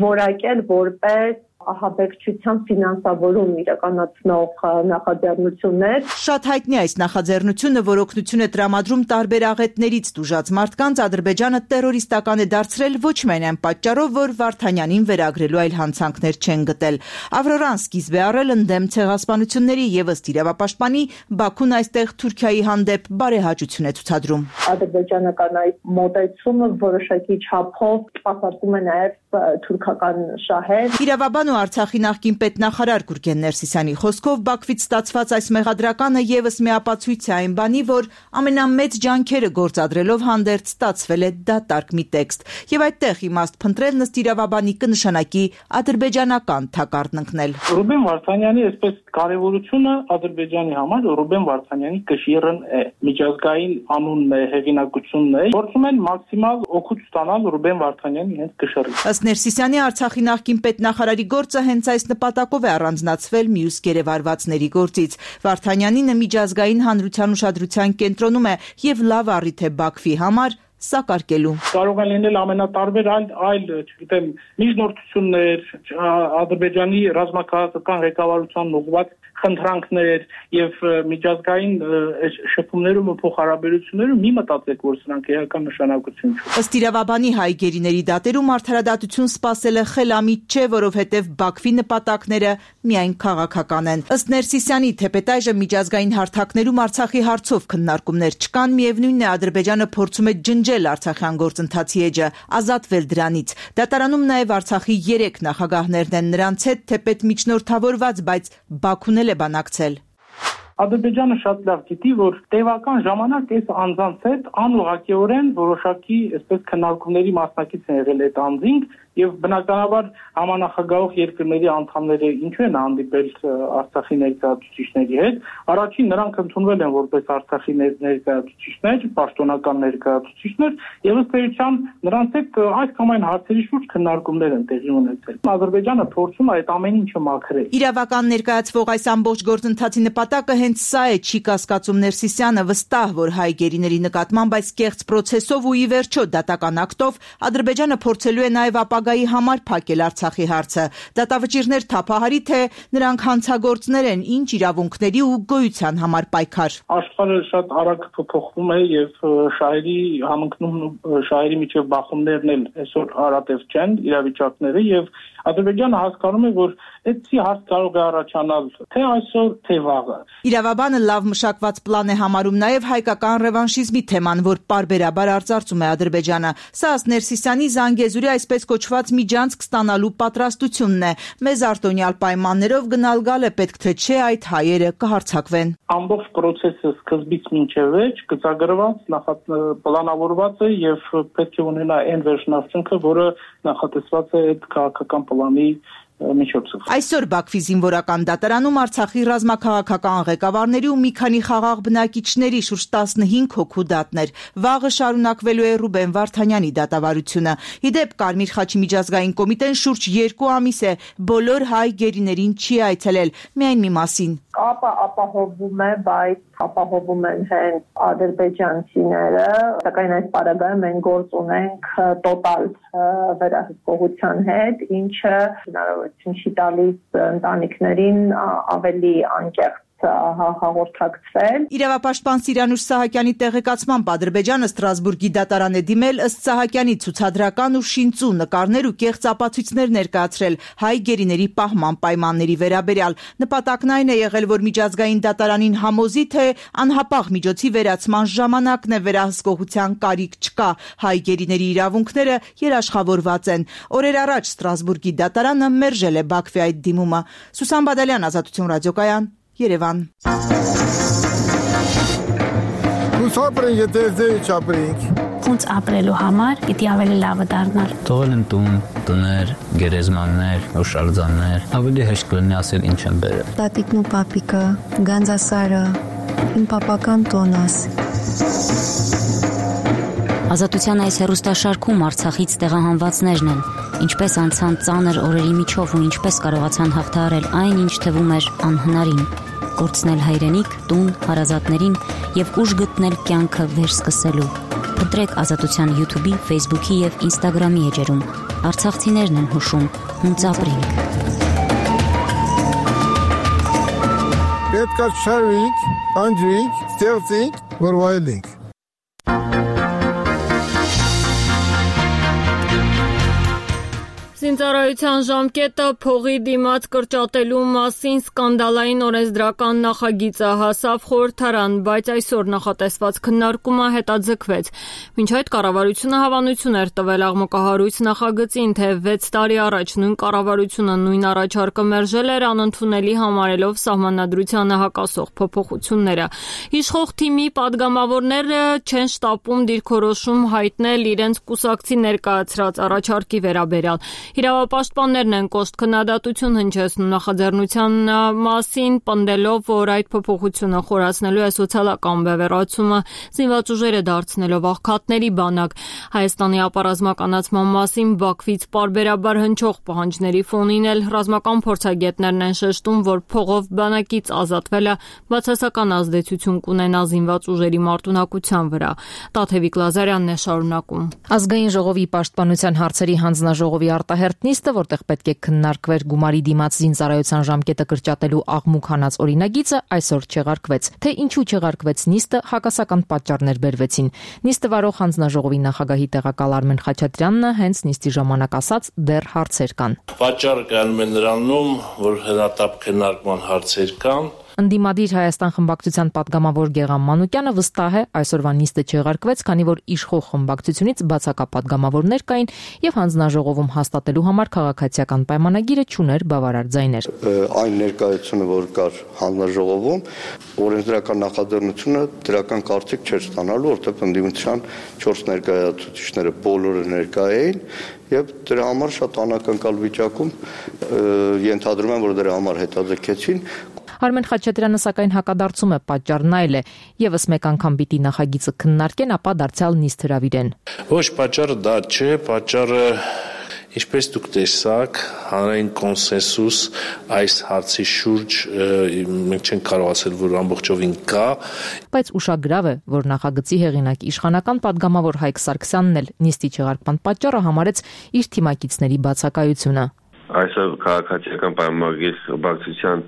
որակել որպես ահաբեկչության ֆինանսավորում իրականացնող նախաձեռնություններ։ Շատ հայտնի այս նախաձեռնությունը, որ օգնություն է տրամադրում տարբեր աղետներից տուժած մարդկանց, Ադրբեջանը տերորիստական է դարձրել ոչ միայն այն պատճառով, որ Վարդանյանին վերագրելու այլ հանցանքներ չեն գտել։ Ավրորան սկիզբ է առել ընդդեմ ցեղասպանությունների եւ ըստ իրավապաշտպանի Բաքուն այստեղ Թուրքիայի հանդեպ բարեհաճություն է ցուցադրում։ Ադրբեջանական այս մոտեցումը որոշակի չափով սպասարկում է նաեւ թուրքական շահեր։ Իրավաբան ու Արցախի նախկին պետնախարար Գուրգեն Ներսիսյանի խոսքով Բաքվից ստացված այս մեղադրականը եւս մի ապացույց է այն բանի, որ ամենամեծ ջանքերը գործադրելով հանդերձ ստացվել է դատարկ մի տեքստ, եւ այդտեղ իմաստ փնտրելն ըստ իրավաբանի կնշանակի ադրբեջանական թակարդ ընկնել։ Ռուբեն Վարդանյանի այսպես կարևորությունը Ադրբեջանի համար Ռուբեն Վարդանյանի կշիռն է, միջազգային անունն է, հեղինակությունն է, փորձում են մաքսիմալ օգուտ ստանալ Ռուբեն Վարդանյանի հենց կշռից։ Ըստ Ներսիսյանի Արցախի նախկին պետնախարարի գործը հենց այս նպատակով է առանձնացվել մյուս գերեվարվածների գործից։ Վարդանյանին միջազգային հանրության ուշադրության կենտրոնում է եւ լավ առիթ է Բաքվի համար սակարկելու։ Կարող են լինել ամենատարբեր այլ, այլ, չգիտեմ, միջնորդություններ, Ադրբեջանի ռազմաքաղաքական ղեկավարության ուղղված խնդրանքներ եւ միջազգային շփումներում ու փոխհարաբերություններում մի մտածեք, որ սրանք էական նշանակություն չունեն։ Ըստ իրավաբանի հայ գերիների դատերում արդարադատություն սպասելը խելամիտ չէ, որովհետեւ Բաքվի նպատակները միայն քաղաքական են։ Ըստ Ներսիսյանի, թեպետ այժմ միջազգային հարթակներում Արցախի հարցով քննարկումներ չկան, միևնույնն է Ադրբեջանը փորձում է ջնջել արցախյան գործընթացի էջը, ազատվել դրանից։ Դատարանում նաև Արցախի երեք նախագահներն են նրանց հետ, թեպետ միջնորդավորված, բայց Բաքուն է բանակցել։ Ադրբեջանը շատ լավ գիտի, որ տևական ժամանակ այս անձանց հետ անուղղակիորեն որոշակի այսպես քննարկումների մասնակից են եղել այդ անձինք եւ բնականաբար համանախագահող երկրների անդամները ինչու են հանդիպել Արցախի ներկայացուցիչների հետ։ Առաջին նրանք ընդունվել են որպես Արցախի ներկայացուցիչներ, պաշտոնական ներկայացուցիչներ, եւ ըստ էության նրանց հետ այս կամ այն հարցերի շուրջ քննարկումներ են տեղի ունեցել։ Ադրբեջանը փորձում է այդ ամեն ինչը մաքրել։ Իրավական ներկայացվող այս ամբողջ գործընթացի նպատակը հենց սա է, չի կասկածում Ներսիսյանը, վստահ, որ հայ գերիների նկատմամբ այս կեղծ պրոցեսով ու ի վերջո դատական ակտով Ադրբեջանը փորձելու է նաև ապագայի համար փակել Արցախի հարցը։ Դատավճիռներ թափահարի, թե նրանք հանցագործներ են, ինչ իրավունքների ու գոյության համար պայքար։ Աշխարհը շատ արագ փոփոխվում է եւ շահերի համընկնումն ու շահերի միջև բախումներն էլ այսօր հարատև չեն իրավիճակները եւ Ադրբեջանը հասկանում է, որ այդպիսի հարց կարող է առաջանալ թե այսօր, թե վաղը։ Իրավաբանը լավ մշակված պլան է համարում նաև հայկական ռևանշիզմի թեման, որ պարբերաբար արծարծում է Ադրբեջանը։ Սա ըստ Ներսիսյանի Զանգեզուրի այսպես կոչված միջանցք ստանալու պատրաստությունն է։ Մեծ արտոնյալ պայմաններով գնալ գալ է պետք թե չէ այդ հայերը կհարձակվեն։ Ամբողջ process-ը սկզբից մինչև վերջ գծագրված, նախատ պլանավորված է եւ պետք է ունենա այն վերջնարդյունքը, որը նախատեսված է այդ քաղաքական պլանի միջոցով։ Այսօր Բաքվի զինվորական դատարանում Արցախի ռազմաքաղաքական ղեկավարների ու մի քանի խաղաղ բնակիչների շուրջ տասնհինգ հոգու դատն էր։ Վաղը շարունակվելու է Ռուբեն Վարդանյանի դատավարությունը։ Իդեպ Կարմիր խաչի միջազգային կոմիտեն շուրջ երկու ամիս է բոլոր հայ գերիներին չի այցելել, միայն մի մասին։ Կապը ապահովում է, բայց ապահովում են հենց ադրբեջանցիները, սակայն այս պարագայում մենք գործ ունենք տոտալ վերահսկողության հետ, ինչը հնարավորություն չի տալիս ընտանիքներին ավելի անկեղծ հաղորդակցվել։ Իրավապաշտպան Սիրանուշ Սահակյանի տեղեկացմամբ Ադրբեջանը Ստրասբուրգի դատարան է դիմել ըստ Սահակյանի ցուցադրական ու շինծու նկարներ ու կեղծ ապացույցներ ներկայացրել հայ գերիների պահման պայմանների վերաբերյալ։ Նպատակն այն է եղել, որ միջազգային դատարանին համոզի, թե անհապաղ միջոցի վերացման ժամանակն է, վերահսկողության կարիք չկա, հայ գերիների իրավունքները երաշխավորված են։ Օրեր առաջ Ստրասբուրգի դատարանը մերժել է Բաքվի այդ դիմումը։ Սուսան Բադալյան, Ազատություն ռադիոկայան, Երևան։ Ոնց ապրենք, եթե ձեզ չապրենք։ Ոնց ապրելու համար պիտի ավելի լավը դառնալ։ Թողել են տուն, տներ, գերեզմաններ, օշալձաններ, ավելի հեշտ կլինի ասել ինչ են բերել։ Տատիկն ու պապիկը, Գանձասարը, իմ պապական տոնաս։ Ազատության այս հեռուստաշարքում Արցախից տեղահանվածներն են, ինչպես անցան ծանր օրերի միջով ու ինչպես կարողացան հաղթահարել այն, ինչ թվում էր անհնարին, կորցնել հայրենիք, տուն, հարազատներին եւ ուժ գտնել կյանքը վերսկսելու։ Փնտրեք Ազատության YouTube-ի, Facebook-ի եւ Instagram-ի էջերում։ Արցախցիներն են հուշում, հունց ապրենք։ Պետք է շարվենք, անջրենք, ստեղծենք, որ վայելենք։ Զինծառայության ժամկետը փողի դիմաց կրճատելու մասին սկանդալային օրենսդրական նախագիծը հասավ խորհրդարան, բայց այսօր նախատեսված քննարկումը հետաձգվեց։ Մինչ այդ կառավարությունը հավանություն էր տվել աղմկահարույց նախագծին, թե վեց տարի առաջ նույն կառավարությունը նույն առաջարկը մերժել էր, անընդունելի համարելով սահմանադրությանը հակասող փոփոխությունները։ Իշխող թիմի падգամավորները չեն շտապում դիրքորոշում հայտնել իրենց կուսակցի ներկայացրած առաջարկի վերաբերյալ։ Իրավապաշտպաններն են կոշտ քննադատություն հնչեցնում նախաձեռնության մասին, պնդելով, որ այդ փոփոխությունը խորացնելու է սոցիալական բևեռացումը, զինված ուժերը դարձնելով աղքատների բանակ։ Հայաստանի ապառազմականացման մասին Բաքվից պարբերաբար հնչող պահանջների ֆոնին էլ ռազմական փորձագետներն են շեշտում, որ փողով բանակից ազատվելը բացասական ազդեցություն կունենա զինված ուժերի մարտունակության վրա։ Տաթևիկ Լազարյանն է շարունակում։ Ազգային ժողովի պաշտպանության հարցերի հանձնաժողովի արտահերտ նիստը, որտեղ պետք է քննարկվեր գումարի դիմաց զինծառայության ժամկետը կրճատելու աղմուկ հանած օրինագիծը, այսօր չեղարկվեց։ Թե ինչու չեղարկվեց նիստը, հակասական պատճառներ բերվեցին։ Նիստը վարող հանձնաժողովի նախագահի տեղակալ Արմեն Խաչատրյանն հենց նիստի ժամանակ ասաց, դեռ հարցեր կան։ Պատճառը կանում է նրանում, որ հրատապ քննարկման հարցեր կան, Ընդդիմադիր Հայաստան խմբակցության պատգամավոր Գեղամ Մանուկյանը վստահ է, այսօրվա նիստը չեղարկվեց, քանի որ իշխող խմբակցությունից բացակապատգամավորներ կային եւ հանձնաժողովում հաստատելու համար քաղաքացիական պայմանագիրը չուներ բավարար ձայներ։ Այն ներկայությունը, որ կար հանձնաժողովում, օրենսդրական նախաձեռնությունը դրական կարծիք չէր ստանալու, որտեղ ընդդիմության չորս ներկայացուցիչները բոլորը ներկա էին եւ դրա համար շատ անակնկալ վիճակում ենթադրում եմ, որ դրա համար հետաձգեցին։ Արմեն Խաչատրյանը սակայն հակադարձում է, պատճառն այլ է, եւս մեկ անգամ պիտի նախագիծը քննարկեն, ապա դարձյալ նիստ հրավիրեն։ Ոչ, պատճառը դա չէ, պատճառը ինչպես դուք տեսաք, հանրային կոնսենսուս այս հարցի շուրջ մենք չենք կարող ասել, որ ամբողջովին կա, բայց ուշագրավ է, որ նախագծի հեղինակ իշխանական պատգամավոր Հայկ Սարգսյանն էլ նիստի չեղարկման պատճառը համարեց իր թիմակիցների բացակայությունը։ Այսօր քաղաքացիական պայմանագիր խմբակցության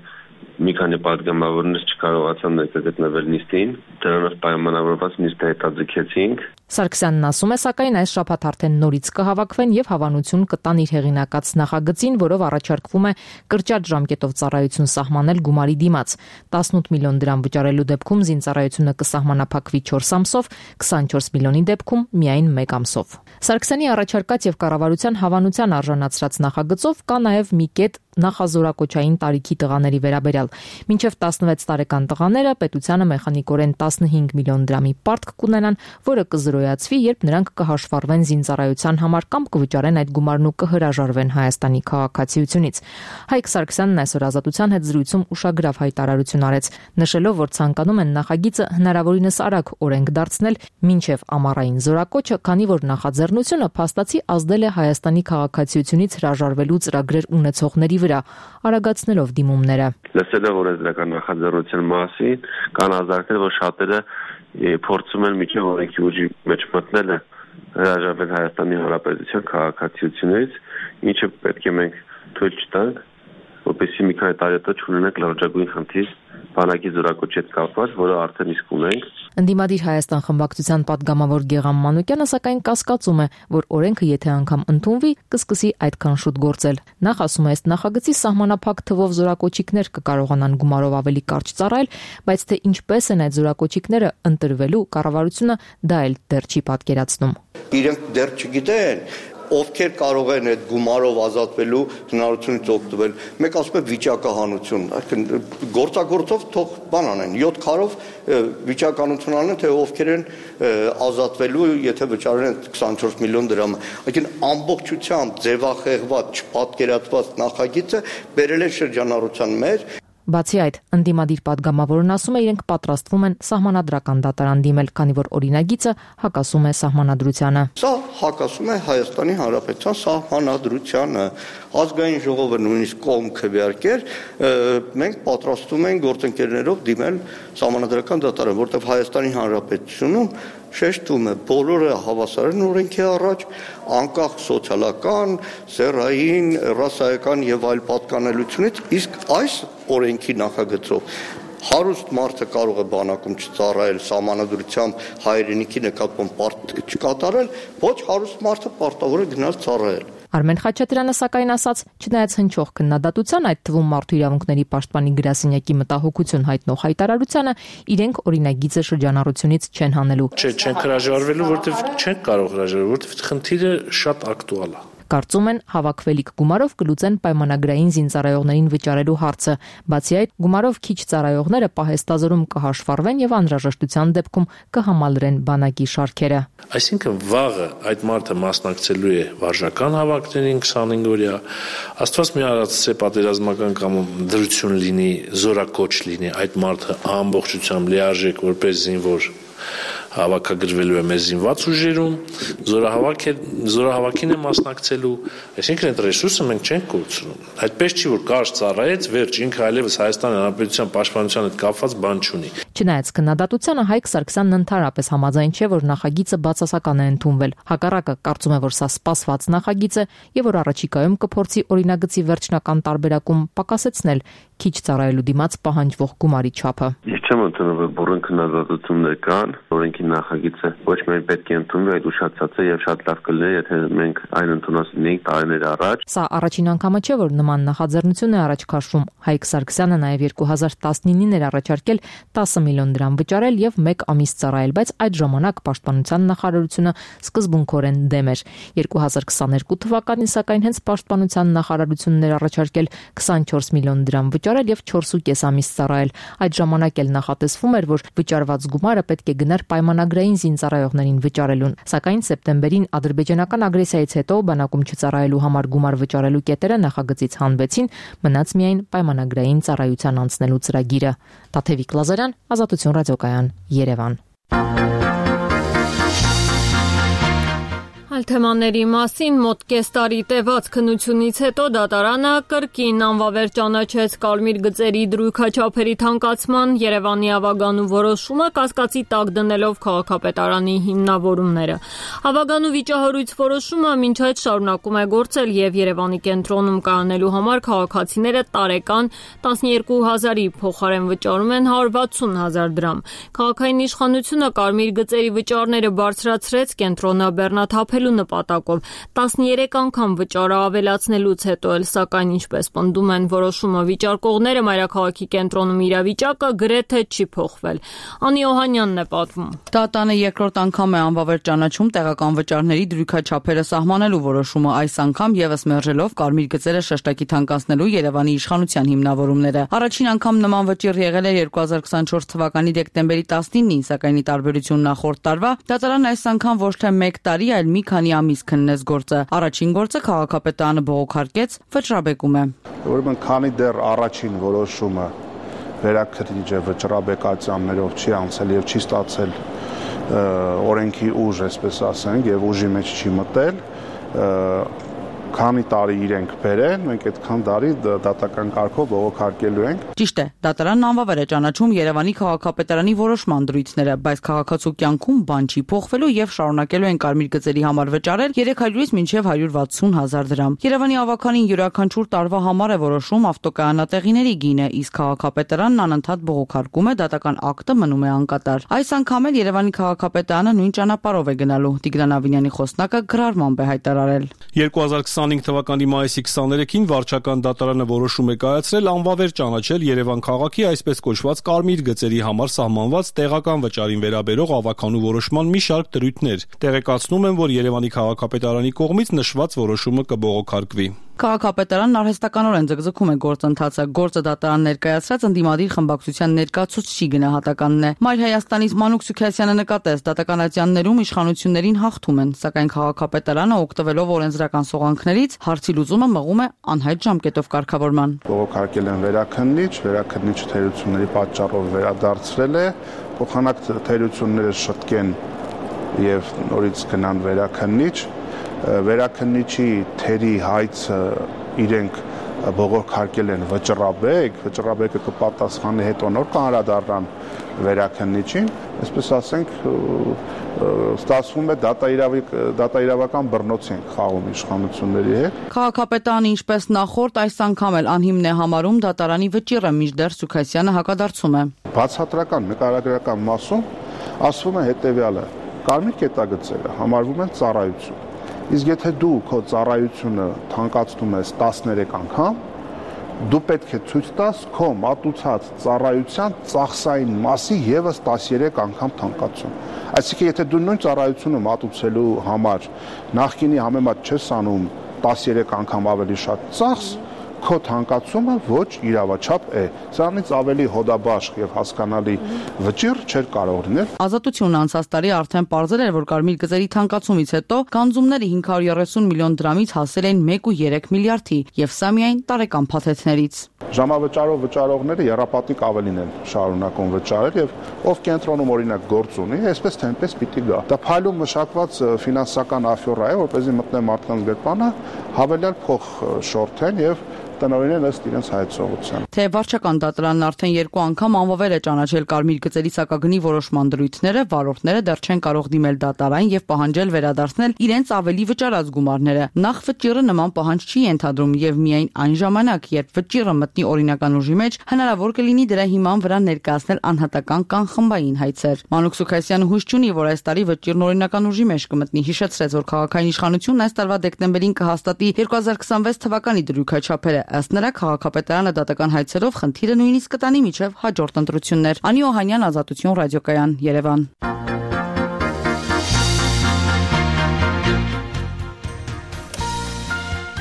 մի քանի պատգամավորներ չկարողացան ներկայացնել նիստին, դրանով պայմանավորված նիստը հետաձգեցինք։ Սարգսյանն ասում է, սակայն այս շաբաթ արդեն նորից կհավաքվեն եւ հավանություն կտան իր հեղինակած նախագծին, որով առաջարկվում է կրճատ ժամկետով ծառայություն սահմանել գումարի դիմաց։ տասնութ միլիոն դրամ վճարելու դեպքում զինծառայությունը կսահմանափակվի չորս ամսով, քսանչորս միլիոնի դեպքում միայն մեկ ամսով։ Սարգսյանի առաջարկած եւ կառավարության հավանության արժանացրած նախագծով կա նաեւ մի կետ նախազորակոչային տարիքի տղաների վերաբերյալ։ Մինչև տասնվեց տարեկան տղաները պետությանը մեխանիկորեն տասնհինգ միլիոն դրամի պարտք կունենան, որը կզրոյացվի, երբ նրանք կհաշվառվեն զինծառայության համար կամ կվճարեն այդ գումարն ու կհրաժարվեն Հայաստանի քաղաքացիությունից։ Հայկ Սարգսյանն այսօր Ազատության հետ զրույցում ուշագրավ հայտարարություն արեց, նշելով, որ ցանկանում են նախագիծը հնարավորինս արագ օրենք դարձնել մինչև ամառային զորակոչը, քանի որ նախաձեռնությունը փաստացի ազդել է Հայաստանի քաղաքացիությունից հրաժարվելու ծրագրեր ունեցողների վրա, արագացնելով դիմումները։ Լսելով օրենսդրական նախաձեռնության մասին, կան ազատներ, որ շատերը փորձում են միջև օրենքի ուժի մեջ մտնել հրաժարվել Հայաստանի Հանրապետության քաղաքացիությունից, ինչը պետք է մենք թույլ չտանք, որպեսզի մի քանի տարի հետո չունենանք լրջագույն խնդիր բանակի զորակոչի հետ կապված, որը արդեն իսկ ունենք։ Ընդդիմադիր Հայաստան խմբակցության պատգամավոր Գեղամ Մանուկյանը սակայն կասկածում է, որ օրենքը եթե անգամ ընդունվի, կսկսի այդքան շուտ գործել։ Նախ ասում է, ըստ նախագծի սահմանափակ թվով զորակոչիկներ կկարողանան գումարով ավելի կարճ ծառայել, բայց թե ինչպես են այդ զորակոչիկները ընտրվելու, կառավարությունը դա էլ դեռ չի պատկերացնում։ Իրենք դեռ չգիտեն ովքեր կարող են այդ գումարով ազատվելու հնարավորությունից օգտվել։ Մեկ ասում է վիճակահանություն, այսինքն գործագործով թող բան անեն, յոթ քարով վիճակահանություն անեն, թե ովքեր են ազատվելու, եթե վճարեն այդ քսանչորս միլիոն դրամը։ Այսինքն ամբողջությամբ ձևախեղված, չպատկերացված նախագիծը բերել է շրջանառության մեջ։ Բացի այդ, ընդդիմադիր պատգամավորն ասում է, իրենք պատրաստվում են սահմանադրական դատարան դիմել, քանի որ օրինագիծը հակասում է սահմանադրությանը։ Սա հակասում է Հայաստանի Հանրապետության սահմանադրությանը։ Ազգային ժողովը նույնիսկ կողմ քվեարկեր, մենք պատրաստվում ենք գործընկերներով դիմել սահմանադրական դատարան, որտեղ Հայաստանի Հանրապետությունում շեշտում է բոլորը հավասար են օրենքի առաջ, անկախ սոցիալական, սեռային, ռասայական եւ այլ պատկանելությունից, իսկ այս օրենքի նախագծով հարուստ մարդը կարող է բանակում չծառայել, սահմանադրությամբ հայրենիքի նկատմամբ պարտք չկատարել, ոչ հարուստ մարդը պարտավոր է գնալ ծառայել։ Արմեն Խաչատրյանը սակայն ասաց, չնայած հնչող քննադատության, այդ թվում մարդու իրավունքների պաշտպանի գրասենյակի մտահոգություն հայտնող հայտարարությանը, իրենք օրինագիծը շրջանառությունից չեն հանելու։ Չէ, չենք հրաժարվելու, որովհետև չենք կարող հրաժարվել, որովհետև խնդիրը շատ ակտուալ է։ Կարծում են հավաքվելիք գումարով կլուծեն պայմանագրային զինծառայողներին վճարելու հարցը։ Բացի այդ, գումարով քիչ ծառայողները պահեստազորում կհաշվառվեն եւ անհրաժեշտության դեպքում կհամալրեն բանակի շարքերը։ Այսինքն վաղը այդ մարդը մասնակցելու է վարժական հավաքներին քսանհինգ օրյա, Աստված մի արածե պատերազմական կամ դրություն լինի, զորակոչ լինի, այդ մարդը ամբողջությամբ լիարժեք որպես զինվոր հավաքագրվելու է մեր զինված ուժերում, զորահավաքին է մասնակցելու, այսինքն այդ ռեսուրսը մենք չենք կորցնում։ Այդպես չի, որ կարճ ծառայեց, վերջ ինքը այլևս Հայաստանի Հանրապետության պաշտպանության հետ կապված բան չունի։ Չնայած քննադատությանը Հայկ Սարգսյանն ընդհանրապես համաձայն չէ, որ նախագիծը բացասական է ընդունվել։ Հակառակը կարծում է, որ սա սպասված նախագիծ է եւ որ առաջիկայում կփորձի օրինագծի վերջնական տարբերակում պակասեցնել քիչ ծառայելու դիմաց պահանջվող գումարի չափը։ Ես չեմ ընդունում, որ բուրըն քննադատություններ կան, օրենքի նախագիծը ոչ միայն պետք է ընդունվի, այլ ուշացած է եւ շատ լավ կլիներ, եթե մենք այն ընդունեցնեինք տարիներ առաջ։ Սա առաջին անգամը չէ, որ նման նախաձեռնություն է առաջ քաշվում։ Հայկ Սարգսյանը նաեւ երկու հազար տասնինին էր առաջարկել տասը միլիոն դրամ վճարել եւ մեկ ամիս ծառայել, բայց այդ ժամանակ Պաշտպանության նախարարությունը սկզբունքորեն դեմ էր։ երկու հազար քսաներկու թվականին սակայն հենց Պաշտպանության նախարարությունն էր առաջարկել քսանչորս միլիոն դրամ վճարել եւ չորս ու կես ամիս ծառայել։ Այդ ժամանակ էլ նախատեսվում էր, որ վճարված գումարը պետք է գնար պայմանագրային զինծառայողներին վճարելուն։ Սակայն սեպտեմբերին ադրբեջանական ագրեսիայից հետո բանակում չծառայելու համար գումար վճարելու կետերը նախագծից հանվեցին, մնաց միայն պայմանագրային ծառայության անցնելու ծրագիրը։ Տաթևիկ Լազարյան, Ազատություն ռադիոկայան, Երևան։ Այլ թեմաների մասին մոտ կես տարի տևած քննությունից հետո դատարանը կրկին անվավեր ճանաչեց Կարմիր գծերի դրույքաչափերի թանկացման Երևանի ավագանու որոշումը կասկածի տակ դնելով քաղաքապետարանի հիմնավորումները։ Ավագանու վիճահարույց որոշումը մինչ այդ շարունակում է գործել եւ Երևանի կենտրոնում կայանելու համար քաղաքացիները տարեկան տասնյոթ հազարի փոխարեն վճարում են հարյուր վաթսուն հազար դրամ։ Քաղաքային իշխանությունը Կարմիր գծերի վճարները բարձրացրեց կենտրոնը բեռնաթափելու նպատակով տասնյոթ անգամ վճարը ավելացնելուց հետո էլ սակայն ինչպես պնդում են որոշումը վիճարկողները մայրաքաղաքի կենտրոնում իրավիճակը գրեթե չի փոխվել։ Անի Օհանյանն է պատմում։ Դատարանը երկրորդ անգամ է անվավեր ճանաչում տեղական վճարների դրույքաչափերը սահմանելու որոշումը, այս անգամ եւս մերժելով Կարմիր գծերը շեշտակի թանկացնելու Երևանի իշխանության հիմնավորումները։ Առաջին անգամ նման վճիռ եղել է երկու հազար քսանչորս թվականի դեկտեմբերի տասնինին, սակայն ի տարբերություն նախորդ տարվա դատարանը այս անգամ ոչ թե մեկ տարի, այլ մի քանի ամիս քննեց գործը։ Առաջին գործը քաղաքապետարանը բողոքարկեց, վճռաբեկում է։ Ուրեմն քանի դեռ առաջին որոշումը վերաքրիչ է վճռաբեկացիաներով չի անցել եւ չի ստացել օրենքի ուժ, այսպես ասենք, եւ ուժի մեջ չի մտել, քանի տարի իրենք բերեն, մենք այդքան տարի դատական կարգով բողոքարկելու ենք։ Ճիշտ է, դատարանն անվավեր է ճանաչում Երևանի քաղաքապետարանի որոշման դրույթները, բայց քաղաքացու կյանքում բան չի փոխվելու եւ շարունակելու են Կարմիր գծերի համար վճարել երեք հարյուրից մինչեւ հարյուր վաթսուն հազար դրամ։ Երևանի ավականին յուրաքանչյուր տարվա համար է որոշում ավտոկայանատեղիների գինը, իսկ քաղաքապետարանն անընդհատ բողոքարկում է, դատական ակտը մնում է անկատար։ Այս անգամ էլ Երևանի քաղաքապետարանը նույն ճանապարհով է գնալու։ Տիգրան Ավինյանի խոսնակը գրառմամբ է հայտարարել։ երկու հազար քսանհինգ թվականի մայիսի քսաներեքին վարչական դատարանը որոշում է կայացրել անվավեր ճանաչել Երևան քաղաքի այսպես կոչված Կարմիր գծերի համար սահմանված տեղական վճարին վերաբերող ավականու որոշման մի շարք դրույթներ։ Տեղեկացնում են, որ Երևանի քաղաքապետարանի կողմից նշված որոշումը կբողոքարկվի։ Քաղաքապետարանն արհեստականորեն ձգձգում է գործընթացը։ Գործը դատարան ներկայացրած ընդդիմադիր խմբակցության ներկայացուցչի գնահատականն է։ Մայր Հայաստանից Մանուկ Սուքիասյանը նկատեց, դատականատյաններում իշխանություններին հաղթում են, սակայն քաղաքապետարանը օգտվելով օրենսդրական սողանքներից հարցի լուծումը մղում է անհայտ ժամկետով կարգավորման։ Բողոքարկել են վերաքննիչ, վերաքննիչ թերությունների պատճառով վերադարձրել է, փոխանակ թերությունները շտկեն եւ նորից գնան վերաքննիչ, վերաքննիչի թերի հայցը իրենք բողոքարկել են վճռաբեկ, վճռաբեկը կպատասխանի հետո նոր կհանդրադառնան վերաքննիչին, այսպես ասենք, ստացվում է դատաիրավական բռնոցի են խաղում իշխանությունների հետ։ Քաղաքապետարանը ինչպես նախորդ այս անգամ էլ անհիմն է համարում դատարանի վճիռը, մինչդեռ Սուքասյանը հակադարձում է։ Բացատրական նկարագրական մասում ասվում է հետևյալը. Կարմիր կետագծերը համարվում են ծառայություն։ Իսկ եթե դու քո ծառայությունը թանկացնում ես տասներեք անգամ, դու պետք է ցույց տաս քո մատուցած ծառայության ծախսային մասի եւս տասներեք անգամ թանկացում։ Այսինքն եթե դու նույն ծառայությունը մատուցելու համար նախկինի համեմատ չես անում տասներեք անգամ ավելի շատ ծախս, քո թանկացումը ոչ իրավաչափ է։ Սրանից ավելի հոդաբաշխ եւ հասկանալի վճիռ չէր կարող լինել։ Ազատությունն անցած տարի արդեն պարզել էր, որ Կարմիր գծերի թանկացումից հետո գանձումները հինգ հարյուր երեսուն միլիոն դրամից հասել են մեկ ու երեք միլիարդի, եւ սա միայն տարեկան փաթեթներից։ Ժամավճարով վճարողները եռապատիկ ավելին են շարունակում վճարել եւ ով կենտրոնում օրինակ գործ ունի, այսպես թե այնպես պիտի գա։ Դա փայլում մշակված ֆինանսական աֆյորա է, որպեսզի մտնեն մարդկանց գրպանը, հավելյալ փող շորթեն եւ տնօրինեն ըստ իրենց հայեցողության։ Թե վարչական դատարանն արդեն երկու անգամ անվավել է ճանաչել կարմիր գծերի սակագնի որոշման դրույթները, վարորդները դեռ չեն կարող դիմել դատարան եւ պահանջել վերադարձնել իրենց ավելի վճարած գումարները։ Նախ վճիռը նման պահանջ չի ենթադրում եւ միայն այն ժամանակ, երբ վճիռը մտնի օրինական ուժի մեջ, հնարավոր կլինի դրա հիման վրա ներկայացնել անհատական կամ խմբային հայցեր։ Մանուկ Սուքասյանը հույս չունի, որ այս տարի վճիռն օրինական ուժի մեջ կմտնի, հիշեցրեց, որ քաղաքային իշխանությունն այս տարվա դեկտեմբերին կհաստատի երկու հազար քսանվեց թվականի դրույքաչափերը։ Ըստ նրա քաղաքապետարանը դատական հայցերով խնդիրը նույնիսկ կտանի մինչև հաջորդ ընտրություններ։ Անի Օհանյան, Ազատություն ռադիոկայան, Երևան։